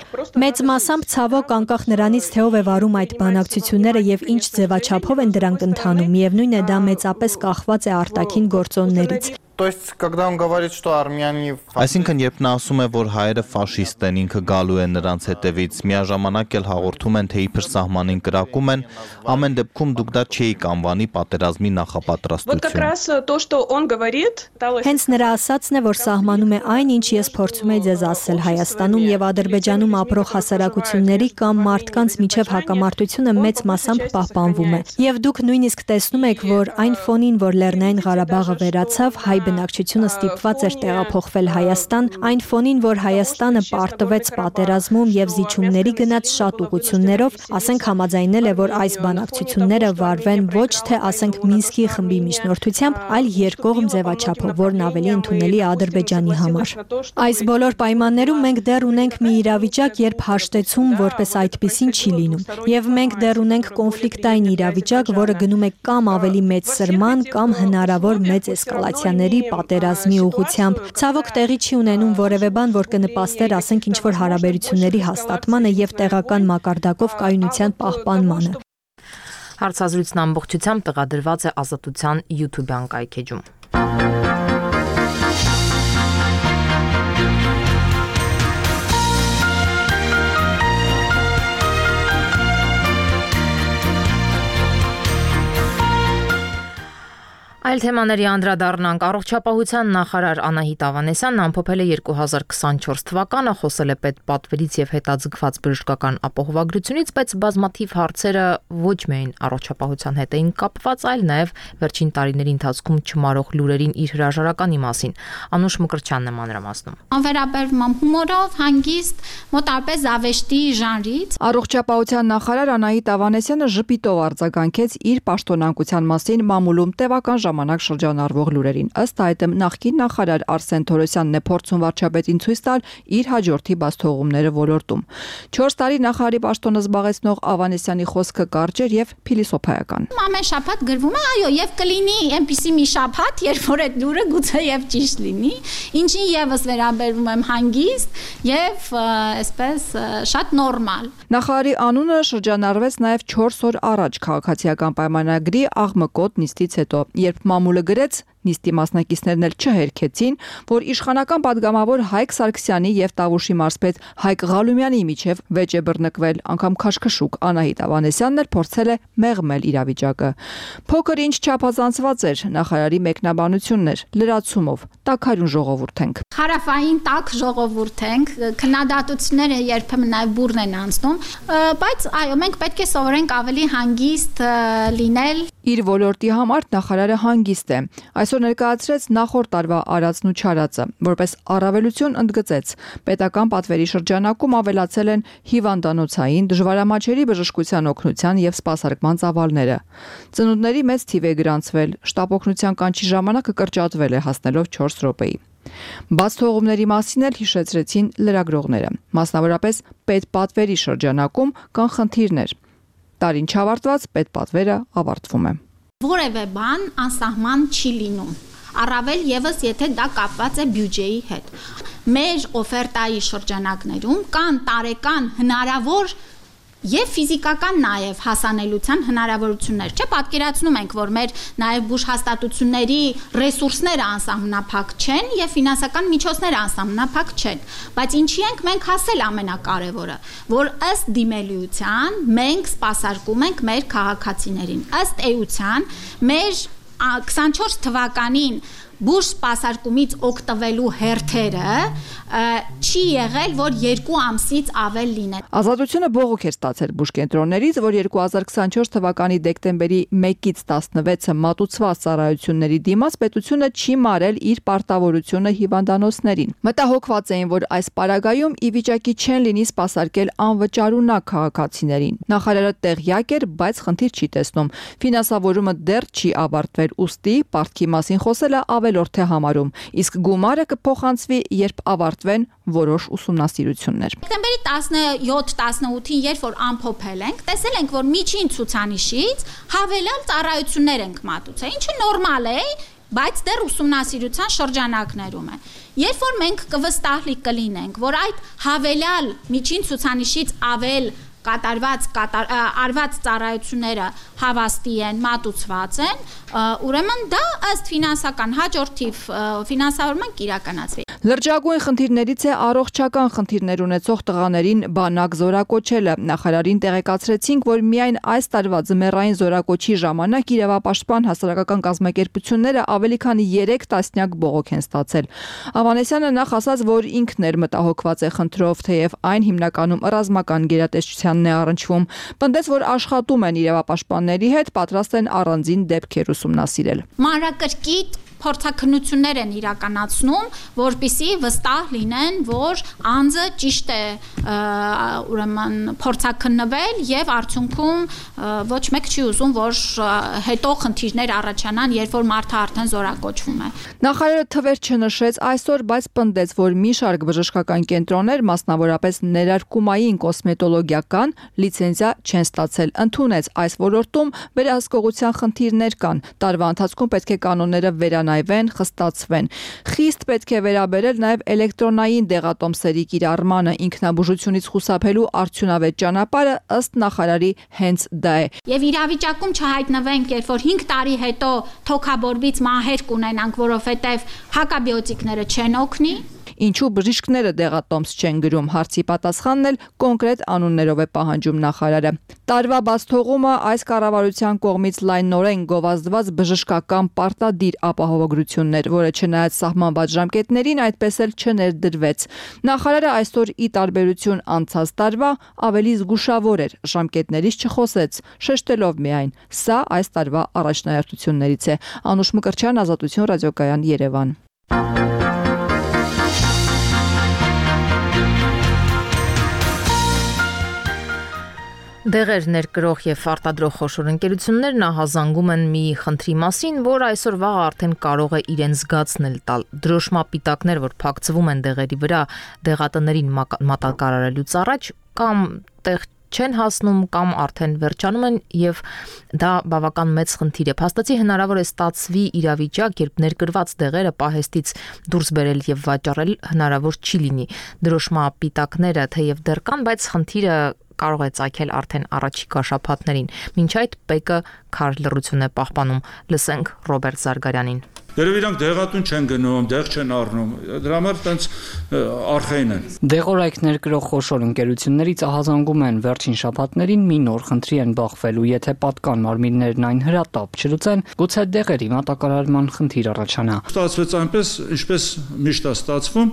Մեծ մասամբ ցավոք անկախ նրանից, թե ով է վարում այդ բանակցությունները եւ ինչ ձևաչափով են դրանք ընթանում, միևնույն է դա մեծապես կախված է արտաքին գործոններից։ То есть, когда он говорит, что армяне... Այսինքն, երբ նա ասում է, որ հայերը ֆաշիստ են, ինքը գալու է նրանց հետևից, միաժամանակ էլ հաղորդում են, թե իբր սահմանին կրակում են, ամեն դեպքում դուք դա չէիք անվանի պատերազմի նախապատրաստություն։ Հենց նրա ասածն է, որ սահմանում է այն, ինչ ես փորձում եմ ձեզ ասել, Հայաստանում եւ Ադրբեջանում ապրող հասարակությունների կամ մարդկանց միջև հակամարտությունը մեծ մասամբ պահպանվում է։ Եվ դուք նույնիսկ տեսնում եք, որ այն ֆոնին, որ Լեռնային Ղարաբաղը վերացավ, հայ բնակչությունը ստիպված էր տեղափոխվել Հայաստան, այն ֆոնին, որ Հայաստանը պարտվեց պատերազմում եւ զիջումների գնաց շատ ուղություններով, ասենք համաձայնել է, որ այս բանակցությունները վարվեն ոչ թե ասենք Մինսկի խմբի միջնորդությամբ, այլ երկկողմ ձևաչափով, որն ավելի ընդունելի է Ադրբեջանի համար։ Այս բոլոր պայմաններում մենք դեռ ունենք մի իրավիճակ, երբ հաշտեցում որպես այդպիսին չի լինում, եւ մենք դեռ ունենք կոնֆլիկտային իրավիճակ, որը գնում է կամ ավելի մեծ սրման, կամ հնարավոր մեծ էսկալացիաների, պատերազմի ուղղությամբ։ Ցավոք տեղի չի ունենում որևէ բան, որ կնպաստեր, ասենք, ինչ-որ հարաբերությունների հաստատմանը եւ տեղական մակարդակով կայունության պահպանմանը։ Հարցազրույցն ամբողջությամբ տեղադրված է Ազատության YouTube-յան կայքեջում։ Այլ թեմաների անդրադառնանք, առողջապահության նախարար Անահիտ Ավանեսյանն ամփոփել է 2024 թվականը, խոսել է պետպատվերից եւ հետաձգված բժշկական ապահովագրությունից, բայց բազմաթիվ հարցերը ոչ միայն առողջապահության հետ էին կապված, այլ նաեւ վերջին տարիների ընթացքում չմարող լուրերին իր հրաժարականի մասին։ Անուշ Մկրտչյանն է մանրամասնում։ Անվերաբերվում հումորով, հանգիստ, մոտարպես զավեշտի ժանրից։ Առողջապահության նախարար Անահիտ Ավանեսյանը ժպիտով արձագանքեց իր պաշտոնանկության մասին մամուլում տևական ժամանակ շրջանառվող լուրերին։ Ըստ այդմ նախկին նախարար Արսեն Թորոսյանն է փորձում վարչապետին ցույց տալ իր հաջորդի բացթողումները ոլորտում։ 4 տարի նախարարի պաշտոնը զբաղեցնող Ավանեսյանի խոսքը կարճ էր եւ փիլիսոփայական։ Ամեն շաբաթ գրվում է, այո, եւ կլինի այնպիսի մի շաբաթ, երբ որ այդ լուրը գուցե եւ ճիշտ լինի, ինչին եւս վերաբերվում եմ հանգիստ եւ այսպես շատ նորմալ։ Նախարարի անունը շրջանառվեց նաեւ 4 օր առաջ քաղաքացիական պայմանագրի աղմկոտ նիստից հետո, երբ մամուլը գրեց, նիստի մասնակիցներն էլ չհերքեցին, որ իշխանական падգամավոր Հայկ Սարգսյանի եւ Տավուշի մարզպետ Հայկ Ղալումյանի միջև վեճ է բռնկվել, անգամ քաշքշուկ Անահիտ Ավանեսյանն էլ փորձել է մեղմել իրավիճակը։ Փոքր ինչ չափազանցված էր նախարարի մեկնաբանությունն էր, լրացումով, տաքարյուն ժողովուրդ ենք։ Հարավային տաք ժողովուրդ ենք, քննադատությունները երբեմն նաեւ բուրն են անցնում, բայց այո, մենք պետք է սովորենք ավելի հանգիստ լինել։ Իր ոլորտի համար նախարարը հանգիստ է։ Այսօր ներկայացրեց նախորդ տարվա արածն ու չարածը, որպես առավելություն ընդգծեց։ Պետական պատվերի շրջանակում ավելացել են հիվանդանոցային, դժվարամատչելի բժշկության օգնության եւ սպասարկման ծավալները։ Ծնունդների մեծ թիվ է գրանցվել, շտապ օգնության կանչի ժամանակը կրճատվել է հասնելով 4 րոպեի։ Բացթողումների մասին էլ հիշեցրեցին լրագրողները։ Մասնավորապես պետպատվերի շրջանակում կան խնդիրներ։ Տարին չավարտված պետպատվերը ավարտվում է։ Որևէ բան անսահման չի լինում, առավել եւս եթե դա կապված է բյուջեի հետ։ Մեր օֆերտայի շրջանակներում կան տարեկան հնարավոր եւ ֆիզիկական նաեւ հասանելիության հնարավորություններ։ Չէ, պատկերացնում ենք, որ մեր նաեւ բուժհաստատությունների ռեսուրսները անսահմանափակ չեն եւ ֆինանսական միջոցները անսահմանափակ չեն, բայց ինչի ենք մենք հասել ամենակարևորը, որ ըստ դիմելիության մենք սպասարկում ենք մեր քաղաքացիներին։ Ըստ էության մեր 24 թվականին բուժ սպասարկումից օգտվելու հերթերը չի եղել, որ 2 ամսից ավել լինեն։ Ազատությունը բողոք էր ստացել բուժկենտրոններից, որ 2024 թվականի դեկտեմբերի 1-ից 16-ը մատուցված ծառայությունների դիմաց պետությունը չի մարել իր պարտավորությունը հիվանդանոցներին։ Մտահոգված էին, որ այս պարագայում ի վիճակի չեն լինի սպասարկել անվճարունակ քաղաքացիներին։ Նախարարը տեղյակ էր, բայց խնդիր չի տեսնում։ Ֆինանսավորումը դեռ չի ավարտվել, ուստի պարտքի մասին խոսելը ավելորդ է համարում, իսկ գումարը կփոխանցվի, երբ ավարտվեն որոշ ուսումնասիրություններ։ Դեկտեմբերի 17-18-ին, երբ որ ամփոփել ենք, տեսել ենք, որ միջին ցուցանիշից հավելյալ ծառայություններ ենք մատուցել, ինչը նորմալ է, բայց դեռ ուսումնասիրության շրջանակներում է։ Երբ որ մենք կվստահելի կլինենք, որ այդ հավելյալ միջին ցուցանիշից ավել արված ծառայությունները հավաստի են, մատուցված են, ուրեմն դա ըստ ֆինանսական հաջորդիվ ֆինանսավորման կիրականացվի։ Լրջագույն խնդիրներից է առողջական խնդիրներ ունեցող տղաներին բանակ զորակոչելը։ Նախարարին տեղեկացրեցինք, որ միայն այս տարվա ձմեռային զորակոչի ժամանակ իրավապաշտպան հասարակական կազմակերպությունները ավելի քան 3 տասնյակ բողոք են ստացել։ Ավանեսյանը նախ ասաց, որ ինքն էր մտահոգված է խնդրով, թեև այն հիմնականում ռազմական գերատեսչությանն է առնչվում։ Պնդեց, որ աշխատում են իրավապաշտպանների հետ, պատրաստ են առանձին դեպքեր ուսումնասիրել։ Մանրակրկիտ փորձաքննություններ են իրականացնում, որպեսզի վստահ լինեն, որ անձը ճիշտ է ուրեմն փորձաքննվել եւ արդյունքում ոչ մեկ չի ուզում, որ հետո խնդիրներ առաջանան, երբ որ մարդը արդեն զորակոչվում է։ Նախարարը թվեր չնշեց այսօր, բայց պնդեց, որ մի շարք բժշկական կենտրոններ, մասնավորապես ներարկումային կոսմետոլոգիական լիցենզիա չեն ստացել։ Ընդունեց այս ոլորտում վերահսկողության խնդիրներ կան։ Տարվա ընթացքում պետք է կանոնները վերանայվեն, խստացվեն։ Խիստ պետք է վերաբերել նաև էլեկտրոնային դեղատոմսերի կիրառմանը, ինքնաբուժությունից խուսափելու արդյունավետ ճանապարհը ըստ նախարարի հենց դա է։ Եվ իրավիճակում չհայտնվենք, երբ որ 5 տարի հետո թոքաբորբից մահեր կունենանք, որովհետև հակաբիոտիկները չեն օգնի։ Ինչու բժիշկները դեղատոմս չեն գրում, հարցի պատասխանն էլ կոնկրետ անուններով է պահանջում նախարարը։ Տարվա բացթողումը այս կառավարության կողմից լայնորեն գովազդված բժշկական պարտադիր ապահովագրություններ, որը չնայած սահմանված ժամկետներին այդպես էլ չներդրվեց։ Նախարարը այսօր ի տարբերություն անցած տարվա ավելի զգուշավոր էր, ժամկետներից չխոսեց, շեշտելով միայն. սա այս տարվա առաջնահերթություններից է։ Անուշ Մկրտչյան, Ազատություն, ռադիոկայան, Երևան։ Դեղեր ներկրող եւ արտադրող խոշոր ընկերություններ նահազանգում են մի խնդրի մասին, որ այսօր վաղ արդեն կարող է իրեն զգացնել տալ։ Դրոշմապիտակներ, որ փակցվում են դեղերի վրա, դեղատներին մատակարարելուց առաջ կամ տեղ չեն հասնում կամ արդեն վերջանում են եւ դա բավական մեծ խնդիր է։ Փաստացի հնարավոր է ստացվի իրավիճակ, երբ ներկրված դեղերը պահեստից դուրս բերել եւ վաճառել հնարավոր չի լինի։ Դրոշմապիտակները թեև դեռ կան, բայց խնդիրը կարող է ծագել արդեն առաջիկա շաբաթներին։ Մինչ այդ ՊԵԿ-ը քար լռություն է պահպանում։ Լսենք Ռոբերտ Զարգարյանին։ Դերև իրանք դեղատուն չեն գնում, դեղ չեն առնում, դրա համար տենց արխային են։ Դեղորայք ներկրող խոշոր ընկերություններից ահազանգում են վերջին շաբաթներին մի նոր խնդրի են բախվելու, եթե պատկան մարմիններն այն հրատապ չլուծեն, գուցե դեղերի մատակարարման խնդիր առաջանա։ Ստացվեց այնպես, ինչպես միշտ է ստացվում,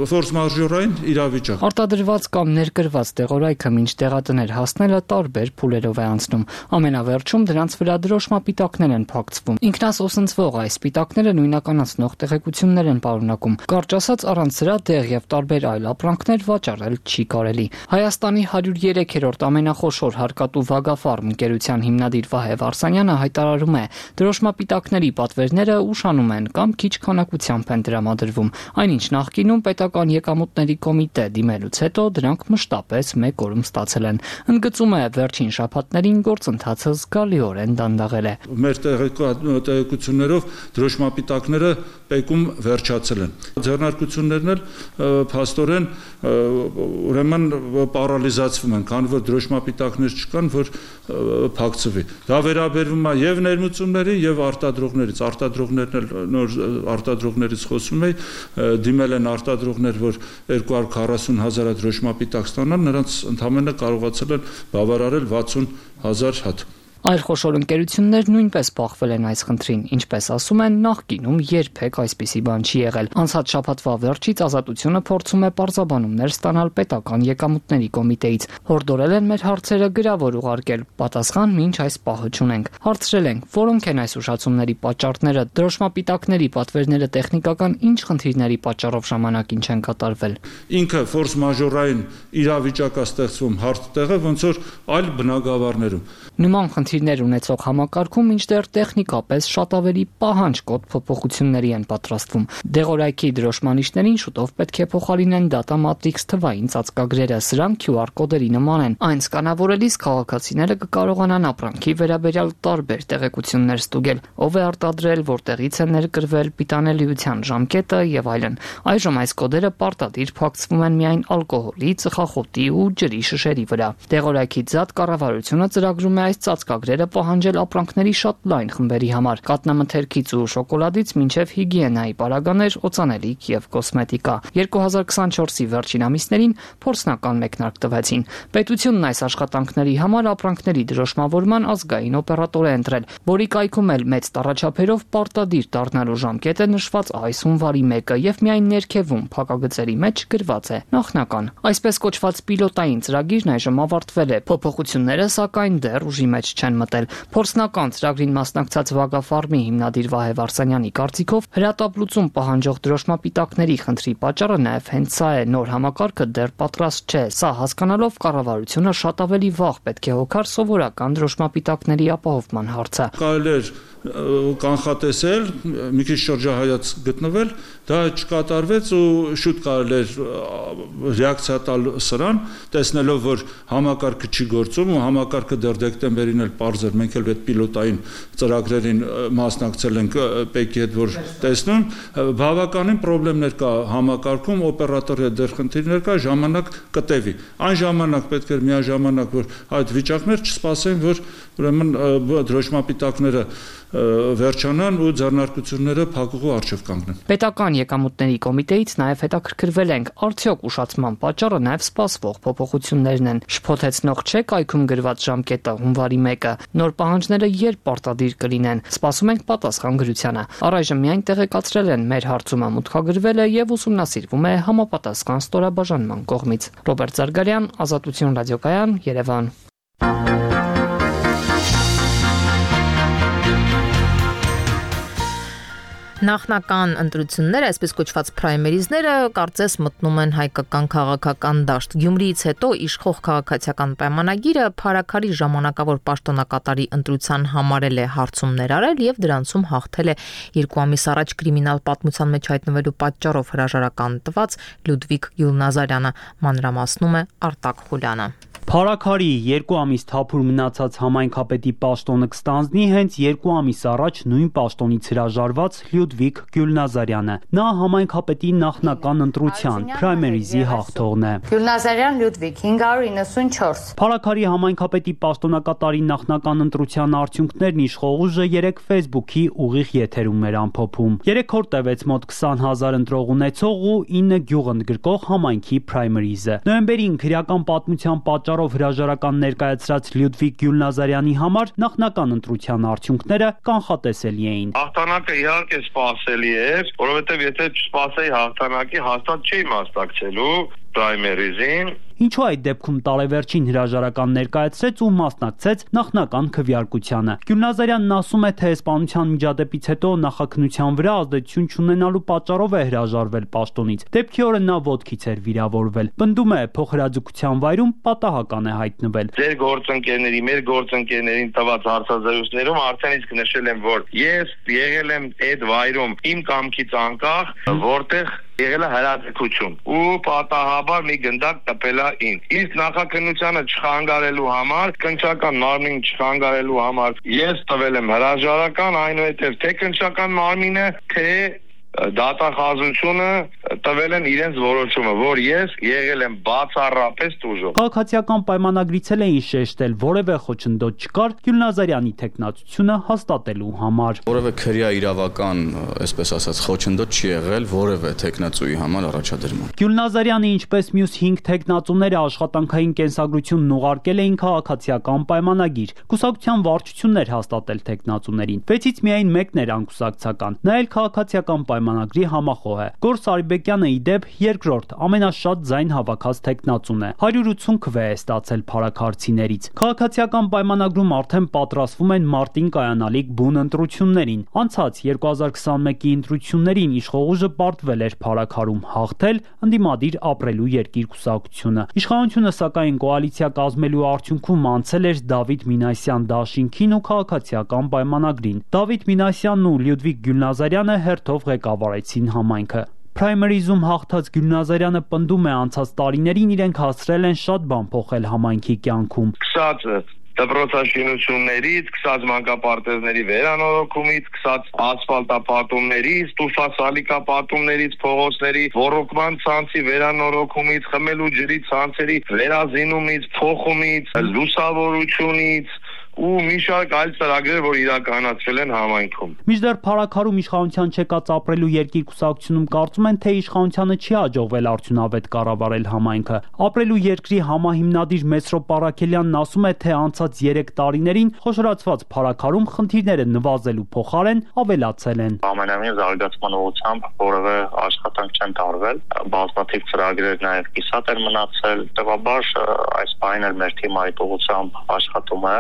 ֆորս մաժորային իրավիճակ։ Արտադրված կամ ներկրված դեղորայքը մինչ դեղատներ հասնելը տարբեր փուլերով է անցնում։ Ամենավերջում դրանց վրա դրոշմապիտակներ են փակցվում։ Ինքնասոսնցվող այս սպիտակները նույնականացնող տեղեկություններ են պարունակում։ Կարճ ասած, առանց սրա դեղ եւ տարբեր այլ ապրանքներ վաճառել չի կարելի։ Հայաստանի 103-րդ ամենախոշոր հարկատու Վագաֆարմ ընկերության հիմնադիր Վահե Վարսանյանը հայտարարում է, դրոշմապիտակների պատվերները ուշանում են կամ քիչ քանակությամբ են տրամադրվում, այնինչ նախկինում պետական եկամուտների կոմիտե դիմելուց հետո դրանք մշտապես 1 օրում ստացել են։ Ընդգծում է, վերջին շաբաթներին գործընթացը զգալիորեն դանդաղել է։ Մեր տեղեկություններով դրոշմապիտակները ՊԵԿ-ում վերջացել են։ Ձեռնարկություններն էլ փաստորեն ուրեմն պարալիզացվում են, քանի որ դրոշմապիտակներ չկան, որ փակցվի։ Դա վերաբերվում է եւ ներմուծումների եւ արտադրողներից։ Արտադրողներն էլ նոր արտադրողներից խոսում էի, դիմել են արտադրողներ, որ 240,000 դրոշմապիտակ ստանան, նրանց ընդամենը կարողացել են բավարարել 60,000 հատ։ Այլ խոշոր ընկերություններ նույնպես բախվել են այս խնդրին, ինչպես ասում են, նախկինում երբեք այսպիսի բան չի եղել։ Անցած շաբաթվա վերջից Ազատությունը փորձում է պարզաբանումներ ստանալ պետական եկամուտների կոմիտեից։ Հորդորել են մեր հարցերը գրավոր ուղարկել, պատասխան մինչ այս պահը չունենք։ Հարցրել ենք, որոնք են այս ուշացումների պատճառները, դրոշմապիտակների պատվերները տեխնիկական ինչ խնդիրների պատճառով ժամանակին չեն կատարվել։ Ինքը ֆորս մաժորային իրավիճակ է ստեղծվում հարթ տեղը, ոնց որ այլ բնակավարներում։ Նման խնդիրներ ունեցող համակարգում մինչդեռ տեխնիկապես շատ ավելի պահանջկոտ փոփոխությունների են պատրաստվում։ Դեղորայքի դրոշմանիչներին շուտով պետք է փոխարինեն data matrix թվային ծածկագրերը, սրանք QR կոդերի նման են։ Այն սկանավորելիս քաղաքացիները կկարողանան ապրանքի վերաբերյալ տարբեր տեղեկություններ ստուգել, ով է արտադրել, որտեղից է ներկրվել, պիտանելիության ժամկետը եւ այլն։ Այժմ այս կոդերը պարտադիր փակցվում են միայն ալկոհոլի, ծխախոտի ու ջրի շշերի վրա։ Դեղորայքի ձատ կառավարությունը ծրագրում է այս ծածկագրերը պահանջել ապրանքների շատ լայն խմբերի համար՝ կաթնամթերքից ու շոկոլադից մինչև հիգիենայի պարագաներ, օծանելիք եւ կոսմետիկա։ 2024-ի վերջին ամիսներին փորձնական մեկնարկ տվեցին։ Պետությունն այս աշխատանքների համար ապրանքների դրոշմավորման ազգային օպերատոր է ընտրել, որի կայքում էլ մեծ տառաչափերով պարտադիր դառնալու ժամկետը նշված այս հունվարի 1-ը եւ միայն ներքևում փակագծերի մեջ գրված է նախնական։ Այսպես կոչված պիլոտային ծրագիրն այժմ ավարտվել է։ Փոփոխությունները սակայն դեռ ուժի մեջ չեն։ չեն մտել։ Փորձնական ծրագրին մասնակցած Վագաֆարմի հիմնադիր Վահե Վարսանյանի կարծիքով հրատապ լուծում պահանջող դրոշմապիտակների խնդրի պատճառը նաև հենց սա է, նոր համակարգը դեռ պատրաստ չէ։ Սա հասկանալով կառավարությունը շատ ավելի վաղ պետք է հոգար սովորական դրոշմապիտակների ապահովման հարցը։ Կարելի է կանխատեսել, մի քիչ շրջահայաց գտնվել, դա չկատարվեց ու շուտ կարելի էր ռեակցիա տալ սրան, տեսնելով, որ համակարգը չի գործում ու համակարգը դեռ դեկտեմբերին էլ պարզ էր, մենք էլ այդ պիլոտային ծրագրերին մասնակցել ենք ՊԵԿ-ի հետ, որ տեսնում, բավականին խնդիրներ կա համակարգում, օպերատորի հետ դեռ խնդիրներ կա, ժամանակ կտևի։ Այն ժամանակ պետք է միաժամանակ, որ այդ վիճակներ չսպասեն, որ ուրեմն դրոշմապիտակները վերջանան ու ձեռնարկությունները փակուղու առջև կանգնեն։ Պետական եկամուտների կոմիտեից նաև հետաքրքրվել ենք, արդյոք ուշացման պատճառը նաև սպասվող փոփոխություններն են։ Շփոթեցնող չէ կայքում գրված ժամկետը հունվարի 1-ը։ Նոր պահանջները երբ պարտադիր կլինեն։ Սպասում ենք պատասխան գրությանը։ Առայժմ միայն տեղեկացրել են մեր հարցումը մուտքագրվել է եւ ուսումնասիրվում է համապատասխան ստորաբաժանման կողմից։ Ռոբերտ Զարգարյան, Ազատություն ռադիոկայան, Երևան։ Նախնական ընտրությունները, այսպես կոչված պրայմերիզները, կարծես մտնում են հայկական քաղաքական դաշտ։ Գյումրիից հետո իշխող քաղաքացիական պայմանագիրը Փարաքարի ժամանակավոր պաշտոնակատարի ընտրության համարել է հարցումներ արել եւ դրանցում հաղթել է 2 ամիս առաջ կրիմինալ պատմության մեջ հայտնվելու պատճառով հրաժարական տված Լյուդվիգ Գյուլնազարյանը, մանրամասնում է Արտակ Խուլյանը։ Փարաքարի 2 ամիս թափուր մնացած համայնքապետի պաշտոնը կստանձնի հենց 2 ամիս առաջ նույն պաշտոնից հրաժարված Լյուդվիգ Գյուլնազարյանը։ Նա համայնքապետի նախնական ընտրության պրայմերիզի հաղթողն է։ Գյուլնազարյան Լյուդվիգ 594։ Փարաքարի համայնքապետի պաշտոնակատարի նախնական ընտրության արդյունքներն իշխող ուժը 3 Facebook-ի ուղիղ եթերում էր ամփոփում։ 3 օր տևեց մոտ 20,000 ընտրող ունեցող ու 9 գյուղ ընդգրկող համայնքի պրայմերիզը։ Նոյեմբերին քրեական պատմության պատճառով հրաժարական ներկայացրած Լյուդվիգ Գյուլնազարյանի համար նախնական ընտրության արդյունքները կանխատեսելի էին։ Հաղթանակը իհարկե սպասելի էր, որովհետև եթե չսպասեի հաղթանակի, հաստատ չէի մասնակցելու պրայմերիզին։ Ինչու այդ դեպքում տարեվերջին հրաժարական ներկայացրեց ու մասնակցեց նախնական քվեարկությանը։ Գյուլնազարյանն ասում է, թե սպանության միջադեպից հետո նախաքննության վրա ազդեցություն չունենալու պատճառով է հրաժարվել պաշտոնից։ Դեպքի օրը նա ոտքից էր վիրավորվել։ Պնդում է, փոխհրաձգության վայրում պատահական է հայտնվել։ Ձեր գործընկերների, մեր գործընկերներին տված հարցազրույցներում արդեն իսկ նշել եմ, որ ես եղել եմ այդ վայրում իմ կամքից անկախ, որտեղ եղել է հրաձգություն ու պատահաբար մի գնդակ տպել է ինձ։ Իսկ նախաքննությանը չխանգարելու համար, կնչական մարմին չխանգարելու համար ես տվել եմ հրաժարական, այնուհետև թե կնչական մարմինը, թե դատախազությունը տվել են իրենց որոշումը, որ ես եղել եմ բացառապես տուժող։ Քաղաքացիական պայմանագրից էին շեշտել, որևէ խոչընդոտ չկար Գյուլնազարյանի թեկնածությունը հաստատելու համար։ Որևէ քրեա իրավական, այսպես ասած, խոչընդոտ չի եղել որևէ թեկնածուի համար առաջադրման։ Գյուլնազարյանը, ինչպես մյուս 5 թեկնածուները աշխատանքային կենսագրությունն ուղարկել էին քաղաքացիական պայմանագիր։ Կուսակցության վարչություններ հաստատել թեկնածուներին։ 6-ից միայն մեկն էր անկուսակցական։ Նա էլ քաղաքացիական պայմանագրի համախոհ է։ Գորս Արիբեկյանը ի դեպ երկրորդ ամենաշատ ձայն հավաքած թեկնածուն է։ 180 քվե է ստացել փարաքարցիներից։ Քաղաքացիական պայմանագրում արդեն պատրաստվում են մարտին կայանալիք բուն ընտրություններին։ Անցած 2021-ի ընտրություններին իշխող ուժը պարտվել էր Փարաքարում հաղթել ընդդիմադիր ապրելու երկիր կուսակցությունը։ Իշխանությունը սակայն կոալիցիա կազմելու արդյունքում անցել էր Դավիթ Մինասյան դաշինքին ու քաղաքացիական պայմանագրին։ Դավիթ Մինասյանն ու Լյուդվիգ Գյուլնազարյանը հերթով ղեկավարեցին համայնքը։ Պրայմերիզում հաղթած Գյուլնազարյանը պնդում է, անցած տարիներին իրենք հասցրել են շատ բան փոխել համայնքի կյանքում։ Դպրոցաշինություններից, սկսած մանկապարտեզների վերանորոգումից, սկսած ասֆալտապատումներից, տուֆասալիկապատումներից, փողոցների ոռոգման ցանցի վերանորոգումից, խմելու ջրի ցանցերի վերազինումից, փոխումից, լուսավորությունից ու մի շարք այլ ծրագրեր, որ իրականացվել են համայնքում։ Մինչդեռ Փարաքարում իշխանության չեկած ապրելու երկիր կուսակցությունում կարծում են, թե իշխանությանը չի հաջողվել արդյունավետ կառավարել համայնքը։ Ապրելու երկրի համահիմնադիր Մեսրոպ Պարաքելյանն ասում է, թե անցած 3 տարիներին խոշորացված Փարաքարում խնդիրները նվազելու փոխարեն ավելացել են։ Ամենամյա զարգացման ուղղությամբ որևէ աշխատանք չեն տարվել, բազմաթիվ ծրագրեր նաև կիսատ են մնացել, տևաբար այս բանը մեր թիմը այդ ուղղությամբ աշխատում է,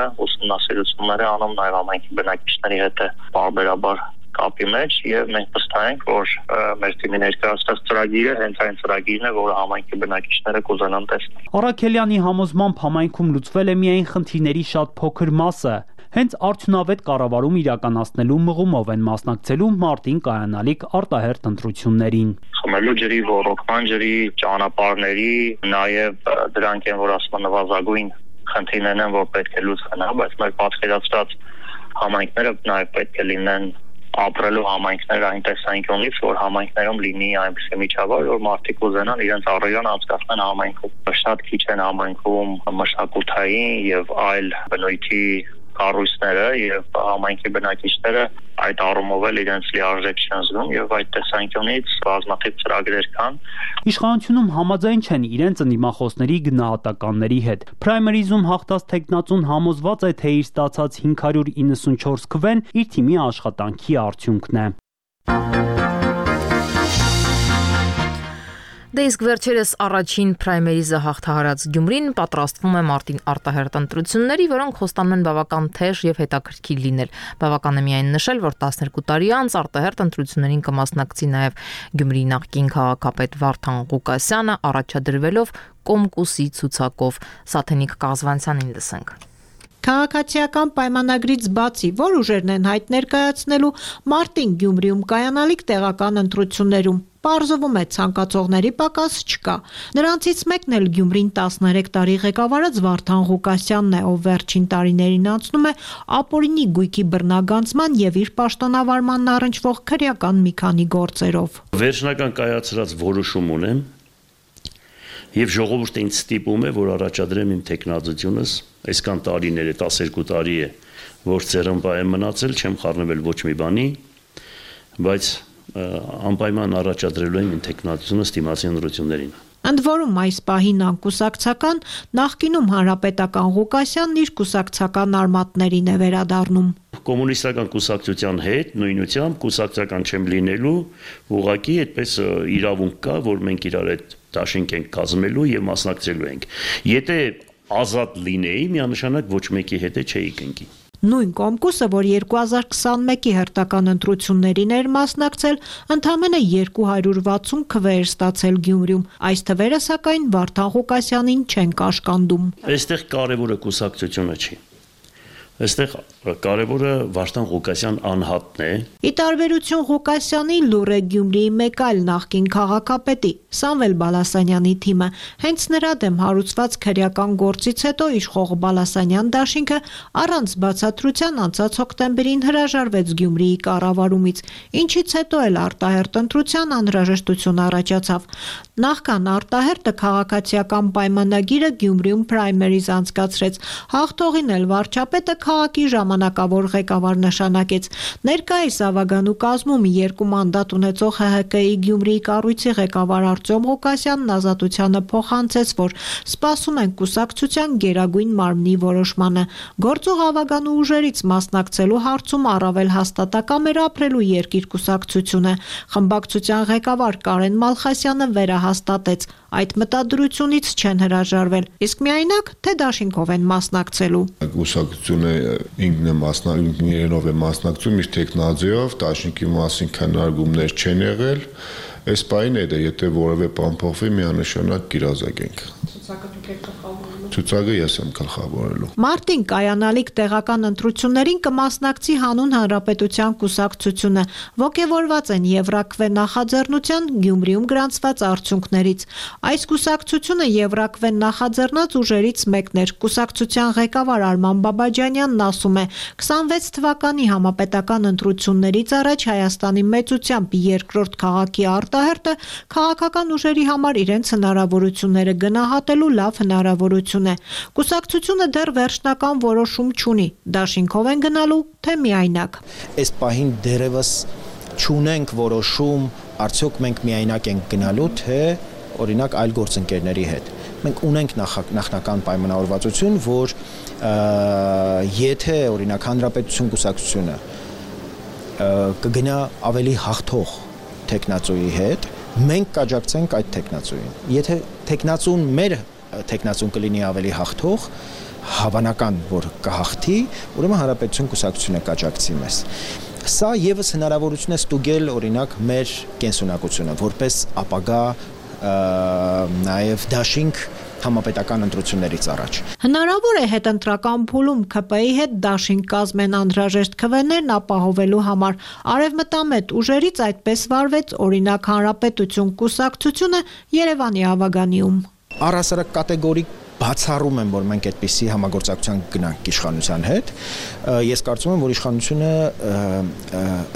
ուսումնասիրություններ է անում նաև համայնքի բնակիչների հետ է բարբերաբար կապի մեջ եւ մենք վստահ ենք, որ մեր թիմի ներկայացրած ծրագիրը հենց այն ծրագիրն է, որը համայնքի բնակիչները կուզենան տեսնել։ Արաքելյանի համոզմամբ համայնքում լուծվել է միայն խնդիրների շատ փոքր մասը։ Հենց արդյունավետ կառավարում իրականացնելու մղումով են մասնակցելու մարտին կայանալիք արտահերթ ընտրություններին։ Խմելու ջրի, ոռոգման ջրի, ճանապարհների, նաև դրանք են, որ ասում նվազագույն խնդիրներն են, որ պետք է լուծվեն, բայց մեր պատկերացրած համայնքները նաև պետք է լինեն ապրելու համայնքներ այն տեսանկյունից, որ համայնքներում լինի այնպիսի միջավայր, որ մարդիկ ուզենան իրենց առօրյան անցկացնեն համայնքում։ Շատ քիչ են համայնքում մշակութային եւ այլ բնույթի կառույցները եւ համայնքի բնակիչները այդ առումով էլ իրենց լիարժեք չեն զգում եւ այդ տեսանկյունից բազմաթիվ ծրագրեր կան։ Իշխանությունում համաձայն չեն իրենց ընդդիմախոսների գնահատականների հետ։ Պրայմերիզում հաղթած տեխնացուն համոզված է, թե իր ստացած 594 քվեն իր թիմի աշխատանքի արդյունքն է։ Դե իսկ վերջերս առաջին պրայմերիզը հաղթահարած Գյումրին պատրաստվում է մարտին արտահերթ ընտրությունների, որոնք խոստանում են բավական թեժ եւ հետաքրքիր լինել։ Բավական է միայն նշել, որ 12 տարի անց արտահերթ ընտրություններին կմասնակցի նաեւ Գյումրիի նախկին քաղաքապետ Վարդան Ղուկասյանը, առաջադրվելով Կոմկուսի ցուցակով։ Սաթենիկ Կազվանցյանին լսենք։ Քաղաքացիական պայմանագրից բացի, որ ուժերն են հայտ ներկայացնելու մարտին Գյումրիում կայանալիք տեղական ընտրություններում, պարզվում է ցանկացողների պակաս չկա։ Նրանցից մեկն էլ Գյումրին 13 տարի ղեկավարած Վարդան Ղուկասյանն է, ով վերջին տարիներին անցնում է ապօրինի գույքի բռնագանձման եւ իր պաշտոնավարմանն առնչվող քրեական մի քանի գործերով։ Վերջնական կայացրած որոշում ունեմ եւ ժողովուրդը ինձ ստիպում է, որ առաջադրեմ իմ տեխնազությունս, այսքան տարիներ է, 12 տարի է, որ ծերմբա եմ մնացել, չեմ խառնվել ոչ մի բանի, բայց անպայման առաջադրելու եմ իմ տեխնազությունս դիմացի ընտրություններին։ Ընդ որում այս պահին անկուսակցական, նախկինում հանրապետական Ղուկասյանն իր կուսակցական արմատներին է վերադառնում։ Կոմունիստական կուսակցության հետ նույնությամբ կուսակցական չեմ լինելու, ուղղակի այդպես իրավունք կա, որ մենք իրար հետ դաշինք ենք կազմելու եւ մասնակցելու ենք։ Եթե ազատ լինեի, միանշանակ ոչ մեկի հետ չէի կնքի։ Նույն Կոմկուսը, որ 2021-ի հերթական ընտրություններին էր մասնակցել, ընդամենը 260 քվեեր ստացել Գյումրիում։ Այս թվերը սակայն Վարդան Ղուկասյանին չեն կաշկանդում։ Այստեղ կարևորը կուսակցությունը չի։ Այստեղ կարևորը Վարդան Ղուկասյան անհատն է։ Ի տարբերություն Ղուկասյանի լուր է Գյումրիի մեկ այլ նախկին քաղաքապետի Սամվել Բալասանյանի թիմը։ Հենց նրա դեմ հարուցված քրեական գործից հետո իշխող Բալասանյան դաշինքը առանց բացատրության անցած հոկտեմբերին հրաժարվեց Գյումրիի կառավարումից, ինչից հետո էլ արտահերթ ընտրության անհրաժեշտություն առաջացավ։ Նախքան արտահերթը քաղաքացիական պայմանագիրը Գյումրիում պրայմերիզ անցկացրեց։ Հաղթողին էլ վարչապետը քաղաքի ժամանակավոր ղեկավար նշանակեց։ Ներկայիս ավագանու կազմում 2 մանդատ ունեցող ՀՀԿ-ի Գյումրիի կառույցի ղեկավար Արտյոմ Ղուկասյանն ազատությանը փոխանցեց, որ սպասում են կուսակցության գերագույն մարմնի որոշմանը։ Գործող ավագանու ուժերից մասնակցելու հարցում առավել հաստատակամ էր ապրելու երկիր կուսակցությունը։ Խմբակցության ղեկավար Կարեն Մալխասյանը վերահաստատեց, այդ մտադրությունից չեն հրաժարվել, իսկ միայնակ թե դաշինքով են մասնակցելու։ Կուսակցությունը ինքնիրենով է մասնակցում իր տեխնազիով, դաշինքի մասին քննարկումներ չեն եղել, այս պահին է դա, եթե որևէ բան փոխվի, միանշանակ կիրազագենք։ Ցուցակը ես եմ գլխավորելու։ Մարտին կայանալիք տեղական ընտրություններին կմասնակցի հանուն հանրապետության կուսակցությունը, ոգևորված են Եվրաքվե նախաձեռնության Գյումրիում գրանցված արդյունքներից։ Այս կուսակցությունը Եվրաքվե նախաձեռնած ուժերից մեկն էր։ Կուսակցության ղեկավար Արման Բաբաջանյանն ասում է, 26 թվականի համապետական ընտրություններից առաջ Հայաստանի մեծությամբ երկրորդ քաղաքի արտահերթը քաղաքական ուժերի համար իրենց հնարավորությունները գնահատելու լավ հնարավորություն է։ Կուսակցությունը դեռ վերջնական որոշում չունի, դաշինքով են գնալու, թե միայնակ։ Այս պահին դեռևս չունենք որոշում, արդյոք մենք միայնակ ենք գնալու, թե օրինակ այլ գործընկերների հետ։ Մենք ունենք նախնական պայմանավորվածություն, որ եթե օրինակ Հանրապետություն կուսակցությունը կգնա ավելի հաղթող տեխնացուի հետ, մենք կաջակցենք այդ տեխնացուին։ Եթե տեխնացուն մեր տեխնացուն կլինի ավելի հաղթող, հավանական որ կհաղթի, ուրեմն հանրապետություն կուսակցությունը կաջակցի մեզ։ Սա եւս հնարավորություն է ստուգել օրինակ մեր կենսունակությունը որպես ապագա նաեւ դաշինք համապետական ընտրություններից առաջ։ Հնարավոր է հետընտրական փուլում ՔՊ-ի հետ դաշինք կազմեն անհրաժեշտ քվեներն ապահովելու համար։ Արևմտամետ ուժերից այդպես վարվեց օրինակ Հանրապետություն կուսակցությունը Երևանի Ավագանիում։ Առհասարակ կատեգորիկ բացառում եմ, որ մենք այդպիսի համագործակցության գնանք իշխանության հետ։ Ես կարծում եմ, որ իշխանությունը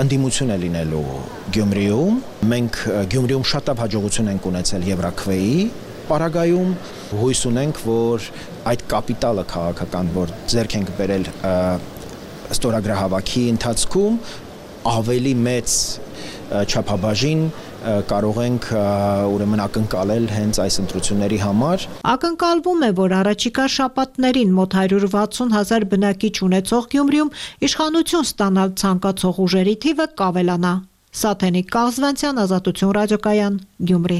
ընդդիմություն է լինելու Գյումրիում։ Մենք Գյումրիում շատ հաջողություն ենք ունեցել Եվրաքվեի պարագայում, հույս ունենք, որ այդ կապիտալը քաղաքական, որ ձեռք ենք բերել ստորագրահավաքի ընթացքում, ավելի մեծ չափաբաժին կարող ենք ուրեմն ակնկալել հենց այս ընտրությունների համար։ Ակնկալվում է, որ առաջիկա շաբաթներին մոտ 160,000 բնակիչ ունեցող Գյումրիում իշխանություն ստանալ ցանկացող ուժերի թիվը կավելանա։ Սաթենիկ Կաղզվանցյան, Ազատություն ռադիոկայան, Գյումրի։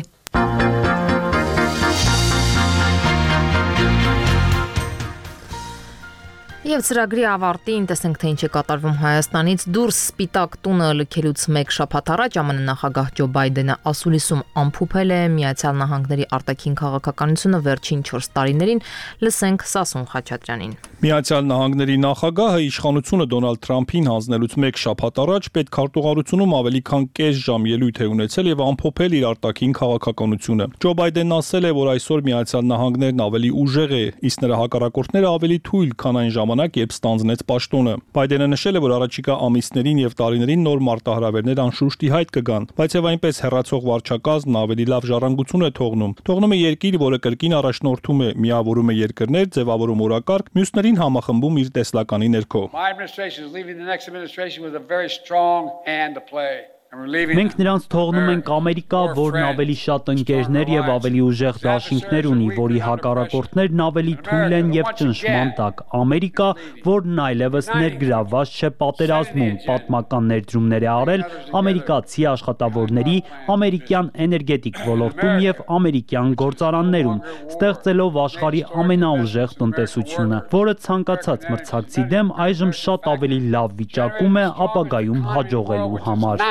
Եվ ծրագրի ավարտին տեսնենք, թե ինչ է կատարվում Հայաստանից դուրս Սպիտակ տունը լքելուց մեկ շաբաթ առաջ ԱՄՆ նախագահ Ջո Բայդենը ասուլիսում ամփոփել է Միացյալ Նահանգների արտաքին քաղաքականությունը վերջին 4 տարիներին, լսենք Սասուն Խաչատրյանին։ Միացյալ Նահանգների նախագահը իշխանությունը Դոնալդ Թրամփին հանձնելուց մեկ շաբաթ առաջ պետքարտուղարությունում ավելի քան կես ժամ ելույթ է ունեցել եւ ամփոփել իր արտաքին քաղաքականությունը։ Ջո Բայդենն ասել է, որ այսօր Միացյալ Նահանգներն ավելի ուժեղ է, իսկ նրա հակառակորդները ավելի թույլ, քան այն ժամանակ, երբ ստանձնեց պաշտոնը։ Բայդենը նշել է, որ առաջիկա ամիսներին եւ տարիներին նոր մարտահրավերներ անշուշտ ի հայտ կգան, բայց եւ այնպես հեռացող վարչակազմն ավելի լավ ժառանգություն է թողնում։ Թողնում է երկիր, որը կրկին առաջնորդում է, միավորում է երկրներ, ձևավորում օրակարգ, մյուսներին համախմբում իր տեսլականի ներքո։ Մենք նրանց թողնում ենք Ամերիկա, որն ավելի շատ ընկերներ եւ ավելի ուժեղ դաշինքներ ունի, որի հակառակորդներն ավելի թույլ են եւ ճնշման տակ։ Ամերիկա, որն այլևս ներգրավված չէ պատերազմում, պատմական ներդրումներ է արել ամերիկացի աշխատավորների, ամերիկյան էներգետիկ ոլորտում եւ ամերիկյան գործարաններում, ստեղծելով աշխարհի ամենաուժեղ տնտեսությունը, որը ցանկացած մրցակցի դեմ այժմ շատ ավելի լավ վիճակում է ապագայում հաջողելու համար։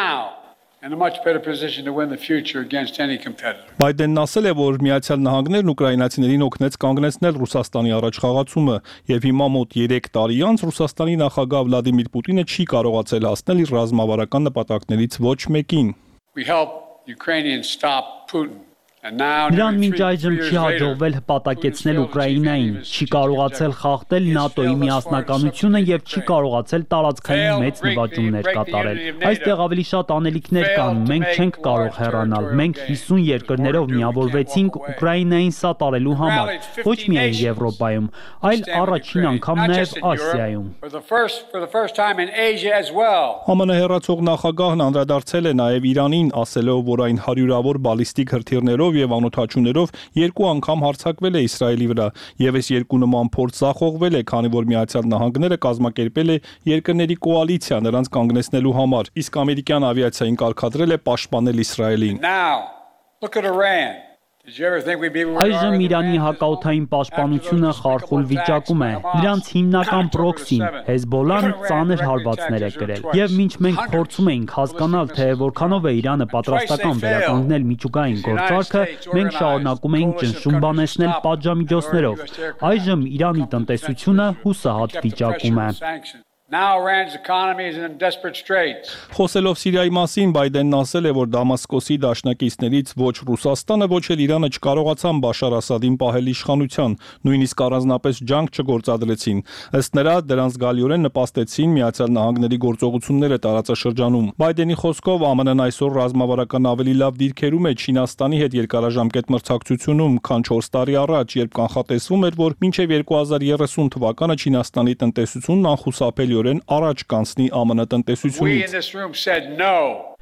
In a much better position to win the future against any competitor. Բայդենն ասել է, որ Միացյալ Նահանգներն ուկրաինացիներին օգնեց կանգնեցնել Ռուսաստանի առաջխաղացումը, եւ հիմա մոտ 3 տարի անց Ռուսաստանի նախագահ Վլադիմիր Պուտինը չի կարողացել հասնել իր ռազմավարական նպատակներից ոչ մեկին։ We helped Ukrainians stop Putin. Նրան մինչ այժմ չի հաջողվել հպատակեցնել Ուկրաինային, չի կարողացել խախտել ՆԱՏՕ-ի միասնականությունը եւ չի կարողացել տարածքային մեծ նվաճումներ կատարել։ Այստեղ ավելի շատ անելիքներ կան, մենք չենք կարող հեռանալ։ Մենք 50 երկրներով միավորվեցինք Ուկրաինային սատարելու համար, ոչ միայն Եվրոպայում, այլ առաջին անգամ նաեւ Ասիայում։ ԱՄՆ հեռացող նախագահն անդրադարձել է նաեւ Իրանին, ասելով, որ այն հարյուրավոր բալիստիկ հրթիռներով եւ անօթաչուներով 2 անգամ հարձակվել է Իսրայելի վրա, եւ այս 2 նման փորձ զախողվել է, քանի որ Միացյալ Նահանգները կազմակերպել է երկրների կոալիցիա նրանց կանգնեցնելու համար, իսկ ամերիկյան ավիացիային կարգադրել է պաշտպանել Իսրայելին։ Այժմ Իրանի հակաօդային պաշտպանությունը խարխուլ վիճակում է։ Նրանց հիմնական պրոքսին Հեզբոլան ծանր հարվածներ է կրել։ Եվ մինչ մենք փորձում էինք հասկանալ, թե որքանով է Իրանը պատրաստական վերականգնել միջուկային գործարքը, մենք շարունակում էինք ճնշում բանեցնել պատժամիջոցներով։ Այժմ Իրանի տնտեսությունը հուսահատ վիճակում է։ Now Iran's economy is in desperate straits. Խոսելով Սիրիայի մասին, Բայդենն ասել է, որ Դամասկոսի դաշնակիցներից ոչ Ռուսաստանը, ոչ էլ Իրանը չկարողացան Բաշար Ասադին պահել իշխանության, նույնիսկ առանձնապես ջանք չգործադրեցին։ Ըստ նրա, դրանց զգալիորեն նպաստեցին Միացյալ Նահանգների գործողությունները տարածաշրջանում։ Բայդենի խոսքով ԱՄՆ-ն այսօր ռազմավարական ավելի լավ դիրքերում է Չինաստանի հետ երկարաժամկետ մրցակցությունում, քան 4 տարի առաջ, երբ կանխատեսվում էր, որ մինչև 2030 թվականը Չինաստանի տնտեսությունն անխուսափելի առաջ կանցնի ԱՄՆ տնտեսությունից։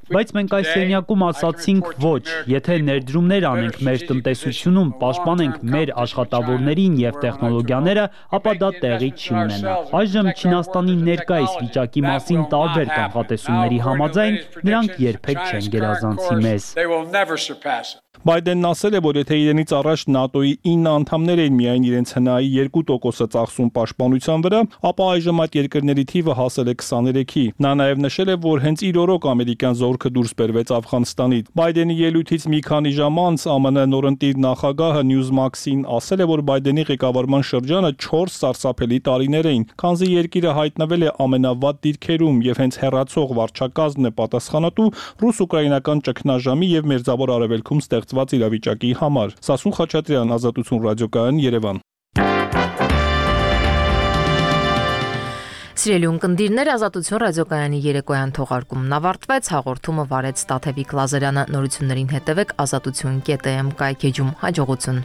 Բայց մենք այս սենյակում ասացինք ոչ, եթե ներդրումներ անենք մեր տնտեսությունում, պաշտպանենք մեր աշխատավորներին եւ տեխնոլոգիաները, ապա դա տեղի չի ունենա։ Այժմ Չինաստանի ներկայիս վիճակի մասին տարբեր կանխատեսումների համաձայն նրանք երբեք չեն գերազանցի մեզ։ Բայդենն ասել է, որ եթե իրենից առաջ ՆԱՏՕ-ի 9 անդամներ էին միայն իրենց ՀՆԱ-ի 2%-ը ծախսում պաշտպանության վրա, ապա այժմ այդ երկրների թիվը հասել է 23-ի։ Նա նաև նշել է, որ հենց իր օրոք ամերիկյան զորքը դուրս բերվեց Աֆղանստանից։ Բայդենի ելույթից մի քանի ժամ անց ԱՄՆ նորընտիր նախագահը Newsmax-ին ասել է, որ Բայդենի ղեկավարման շրջանը 4 սարսափելի տարիներ էին, քանզի երկիրը հայտնվել է ամենավատ դիրքերում եւ հենց հեռացող վարչակազմն է պատասխանատու ռուս-ուկրաինական ճգնաժամի եւ Մերձավոր Արևելքում ստեղծված իրավիճակի համար։ Սասուն Խաչատրյան, Ազատություն ռադիոկայան, Երևան։ Սիրելի ունկնդիրներ, Ազատություն ռադիոկայանի երեկոյան թողարկումն ավարտվեց, հաղորդումը վարեց Տաթևիկ Լազարյանը, նորություններին հետևեք azatutun.am կայքեջում, հաջողություն։